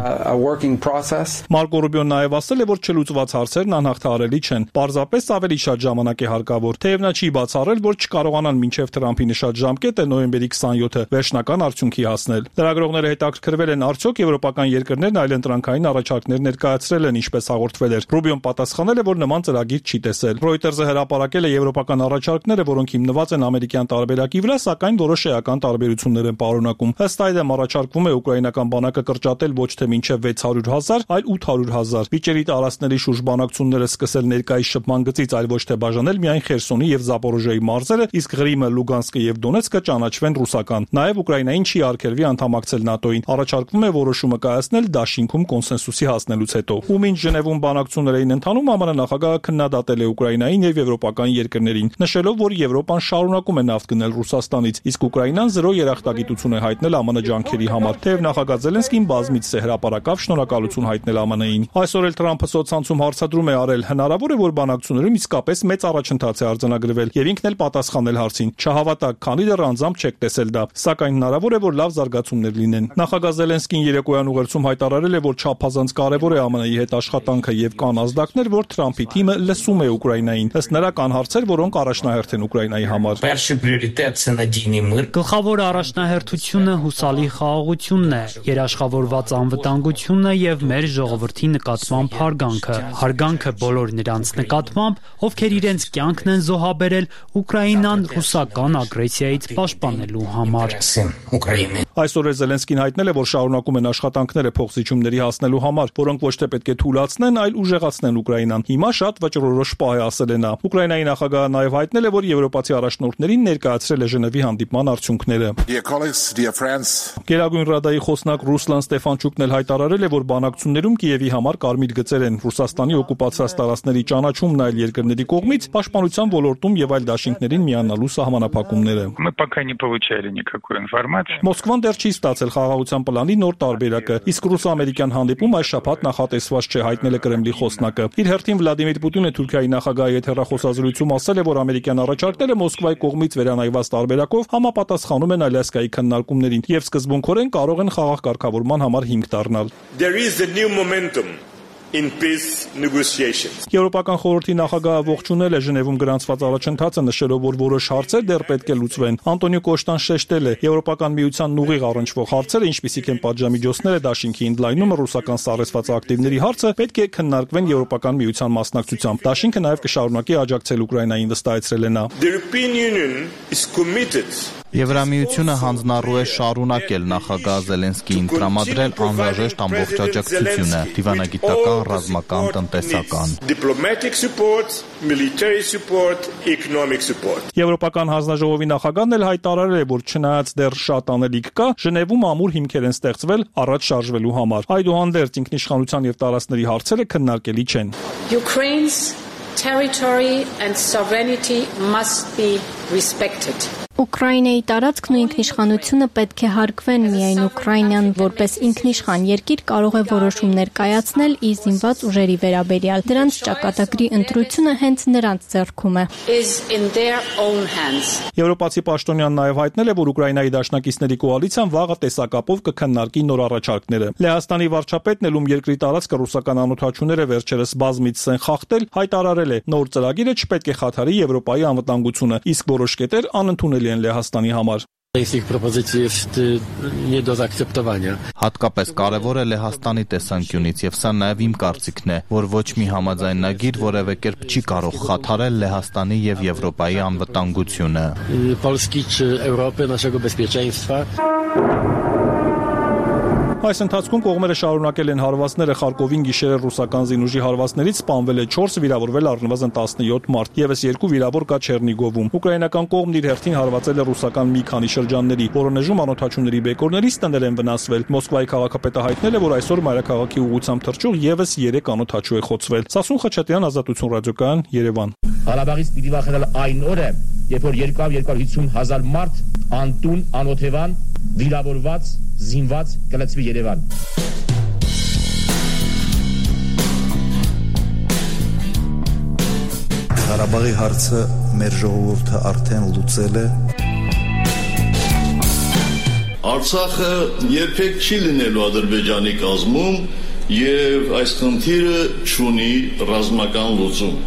Մարկո Ռուբիոն նաև ասել է, որ չլուծված հարցերն անհաղթահարելի չեն, պարզապես ավելի շատ ժամանակ է հարկավոր, թեև նա չի բացառել, որ չկարողանան մինչև Թրամփի նշած ժամկետը նոյեմբերի քսանյոթը վերջնական արդյունքի հասնել։ Լրագրողները հետաքրքրվել են արդյոք եվրոպական երկրներն այլընտրանքային առաջարկներ ներկայացրել են, ինչպես հաղորդվել էր։ Ռուբիոն պատասխանել է, որ նման ծրագիր չի տեսել։ Reuters-ը հրապարակել է եվրոպական առաջարկները, որոնք հիմնված են ամերիկյան տարբերակի վրա, սակայն որոշ էական տարբերություններ են պարունակում։ Ըստ այդմ առաջարկվում է ուկրաինական բանակը կրճատել ոչ թե մինչև վեց հարյուր հազար, այլ ութ հարյուր հազար։ Վիճերի տարածքների շուրջ բանակցությունները սկսել ներկայիս շփման գծից, այլ ոչ թե բաժանել միայն Խերսոնի եւ Զապորոժիայի մարզերը, իսկ Ղրիմը, Լուգանսկը եւ Դոնեցկը ճանաչվեն ռուսական։ Նաեւ Ուկրաինային չի արգելվի անդամակցել ՆԱՏՕ-ին։ Առաջարկվում է որոշումը կայացնել դաշինքում կոնսենսուսի հասնելուց հետո։ Ու մինչ Ժնևում բանակցություններ էին ընթանում, ԱՄՆ նախագահը քննադատել է Ուկրաինային եւ եվրոպական երկրներին, նշելով, որ Եվրոպան շարունակում է նավթ գնել Ռուսաստանից, իսկ Ուկրաինան զրո երախտագիտություն է հայտնել ԱՄՆ ջանքերի համար։ Թեև նախագահ Զելենսկին բազմիցս է հրապարակավ շնորհակալություն հայտնել ԱՄՆ-ին։ Այսօր էլ Թրամփը սոցցանցում հարցադրում է արել, հնարավոր է, որ բանակցություններում իսկապես մեծ առաջընթաց է արձանագրվել եւ ինքն էլ պատասխանել հարցին. «Չհավատակ, քանի դեռ անձամբ չեք տեսել դա, սակայն հնարավոր է, որ լավ զարգացումներ լինեն»։ Նախագահ Զելենսկին երեկոյան ուղերձում հայտարարել է, որ չափազանց կարևոր է ԱՄՆ-ի հետ աշխատանքը եւ կան ազդակներ, որ Թրամփի թիմը լսում է Ուկրաինային։ Ըստ նրա կան հարցեր, որոնք առաջնահերթ են Ուկրաինայի համար։ Գլխավոր առաջնահերթությունը հուսալի խաղաղությունն է, երաշխավորված անվտանգությունը եւ մեր ժողովրդի նկատմամբ հարգանքը։ Հարգանքը բոլոր նրանց նկատմամբ, ովքեր իրենց կյանքն են զոհաբերել Ուկրաինան ռուսական ագրեսիայից պաշտպանելու համար։ Այսօր Զելենսկին հայտնել է, որ շարունակում են աշխատանքները փոխզիջումների հասնելու համար, որոնք ոչ թե պետք է թույլատնեն, այլ ուժեղացնեն Ուկրաինան։ Հիմա շատ վճռորոշ պահ է, ասել է նա։ Ուկրաինայի նախագահը նաև հայտնել է, որ եվրոպացի առաջնորդներին ներկայացրել է Ժնևի հանդիպման արդյունքները։ Գերագույն ռադայի խոսնակ Ռուսլան Ստեֆանչուկն էլ հայտարարել է, որ բանակցություններում Կիևի համար կարմիր գծեր են Ռուսաստանի օկուպացիաց տարածքների ճանաչումն այլ երկրների կողմից, պաշտպանության ոլորտում եւ այլ դաշինքներին միանալու սահմանափակումները։ Մոսկվան դեռ չի ստացել խաղաղության պլանի նոր տարբերակը, իսկ ռուս-ամերիկյան հանդիպում այս շաբաթ նախատեսված չէ, հայտնել է Կրեմլի խոսնակը։ Իր հերթին Վլադիմիր Պուտինը Թուրքիայի նախագահի հետ հեռախոսազրույցում ասել է, որ ամերիկյան առաջարկները Մոսկվայի կողմից վերանայված տարբերակով համապատասխանում են Ալյասկայի քննարկումներին եւ սկզբունքորեն կարող են խաղաղ կարգավորման համար հիմք դառնալ։ In peace negotiations. Եվրոպական խորհրդի նախագահը ողջունել է Ժնևում գրանցված առաջընթացը, նշելով, որ որոշ հարցեր դեռ պետք է լուծվեն։ Անտոնիո Կոշտան շեշտել է, Եվրոպական միության ուղիղ առնչվող հարցերը, ինչպիսիք են պատժամիջոցները, դաշինքի ընդլայնումը, ռուսական սառեցված ակտիվների հարցը, պետք է քննարկվեն Եվրոպական միության մասնակցությամբ։ Դաշինքը նաև կշարունակի աջակցել Ուկրաինային, վստահեցրել է նա։ The European Union is committed Եվրամիությունը հանձնառու է շարունակել նախագահ Զելենսկիին տրամադրել անհրաժեշտ ամբողջ աջակցությունը՝ դիվանագիտական, ռազմական, տնտեսական։ Եվրոպական հանձնաժողովի նախագահն էլ հայտարարել է, որ չնայած դեռ շատ անելիք կա, Ժնևում ամուր հիմքեր են ստեղծվել առաջ շարժվելու համար։ Այդուհանդերձ ինքնիշխանության եւ տարածքների հարցերը քննարկելի չեն։ Ukraine's territory and sovereignty must be respected. Ուկրաինայի տարածքն ու ինքնիշխանությունը պետք է հարգվեն, միայն Ուկրաինան որպես ինքնիշխան երկիր կարող է որոշումներ կայացնել իր զինված ուժերի վերաբերյալ։ Դրանց ճակատագրի ընտրությունը հենց նրանց ձեռքում է։ Եվրոպացի պաշտոնյան նաև հայտնել է, որ Ուկրաինայի դաշնակիցների կոալիցիան վաղը տեսակապով կքննարկի նոր առաջարկները։ Լեհաստանի վարչապետն ել ում երկրի տարածքը ռուսական անօթաչուները վերջերս բազմից են խախտել, հայտարարել է, նոր ծրագիրը չպետք է խաթարի Եվրոպայի անվտանգությունը, իսկ որոշ կետեր անընդունելի են Լեհաստանի համար։ Հատկապես կարևոր է Լեհաստանի տեսանկյունից, եւ սա նաեւ իմ կարծիքն է, որ ոչ մի համաձայնագիր որևէ կերպ չի կարող խաթարել Լեհաստանի եւ Եվրոպայի անվտանգությունը։ Այս ընթացքում կողմերը շարունակել են հարվածները Խարկովին գիշերը ռուսական զինուժի հարվածներից սպանվել է չորս, վիրավորվել առնվազն տասնյոթ մարդ, եւս երկու վիրավոր կա Չեռնիգովում։ Ուկրաինական կողմն իր հերթին հարվածել է ռուսական մի քանի շրջանների, Վորոնեժում անօթաչուների բեկորներից տներ են վնասվել։ Մոսկվայի քաղաքապետը հայտնել է, որ այսօր մայրաքաղաքի ուղղությամբ թռչող եւս երեք անօթաչու է խոցվել։ Սասուն Խաչատրյան, Ազատություն ռադիոկայան, Երևան։ Ղարաբաղից պիտի վախենալ այն օրը, երբ որ երկու հիսուն հազար մարդ անտուն, անօթևան, վիրավորված, զինված կլցվի Երևան։ Ղարաբաղի հարցը մեր ժողովուրդը արդեն լուծել է։ Արցախը երբեք չի լինելու Ադրբեջանի կազմում եւ այս խնդիրը չունի ռազմական լուծում։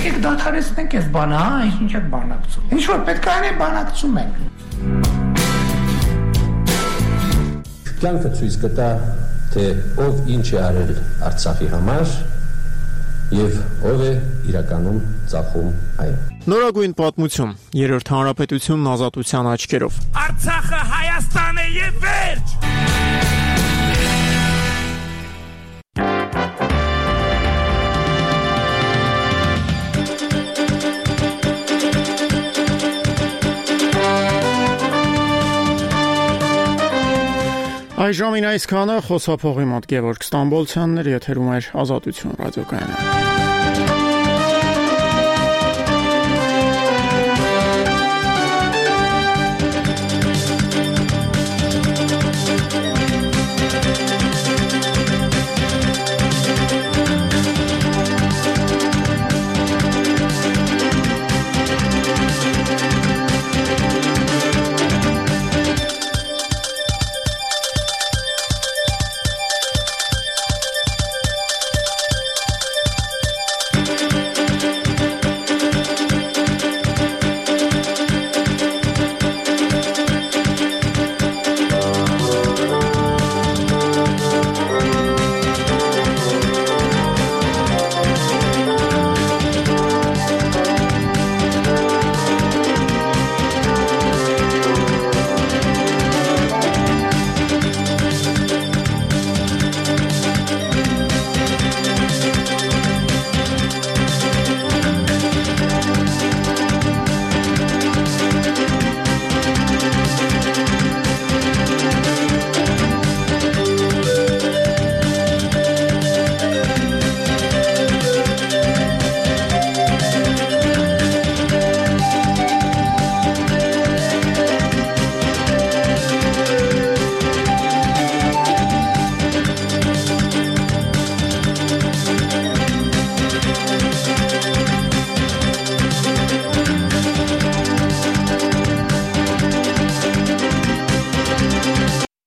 Եկեք դադարեցնենք այս բանը, հա, ինչ եք բանակցում։ Ինչ որ պետք է անենք, բանակցում ենք։ Կյանքը ցույց կտա, թե ով ինչ է արել Արցախի համար եւ ով է իրականում ծախում այն։ Նորագույն պատմություն, երրորդ հանրապետությունն ազատության աչքերով։ Արցախը Հայաստան է եւ վերջ։ Այժմին այսքանը, խոսափողի մոտ Գևորգ Ստամբոլցյանն էր, եթերում էր Ազատություն ռադիոկայանը։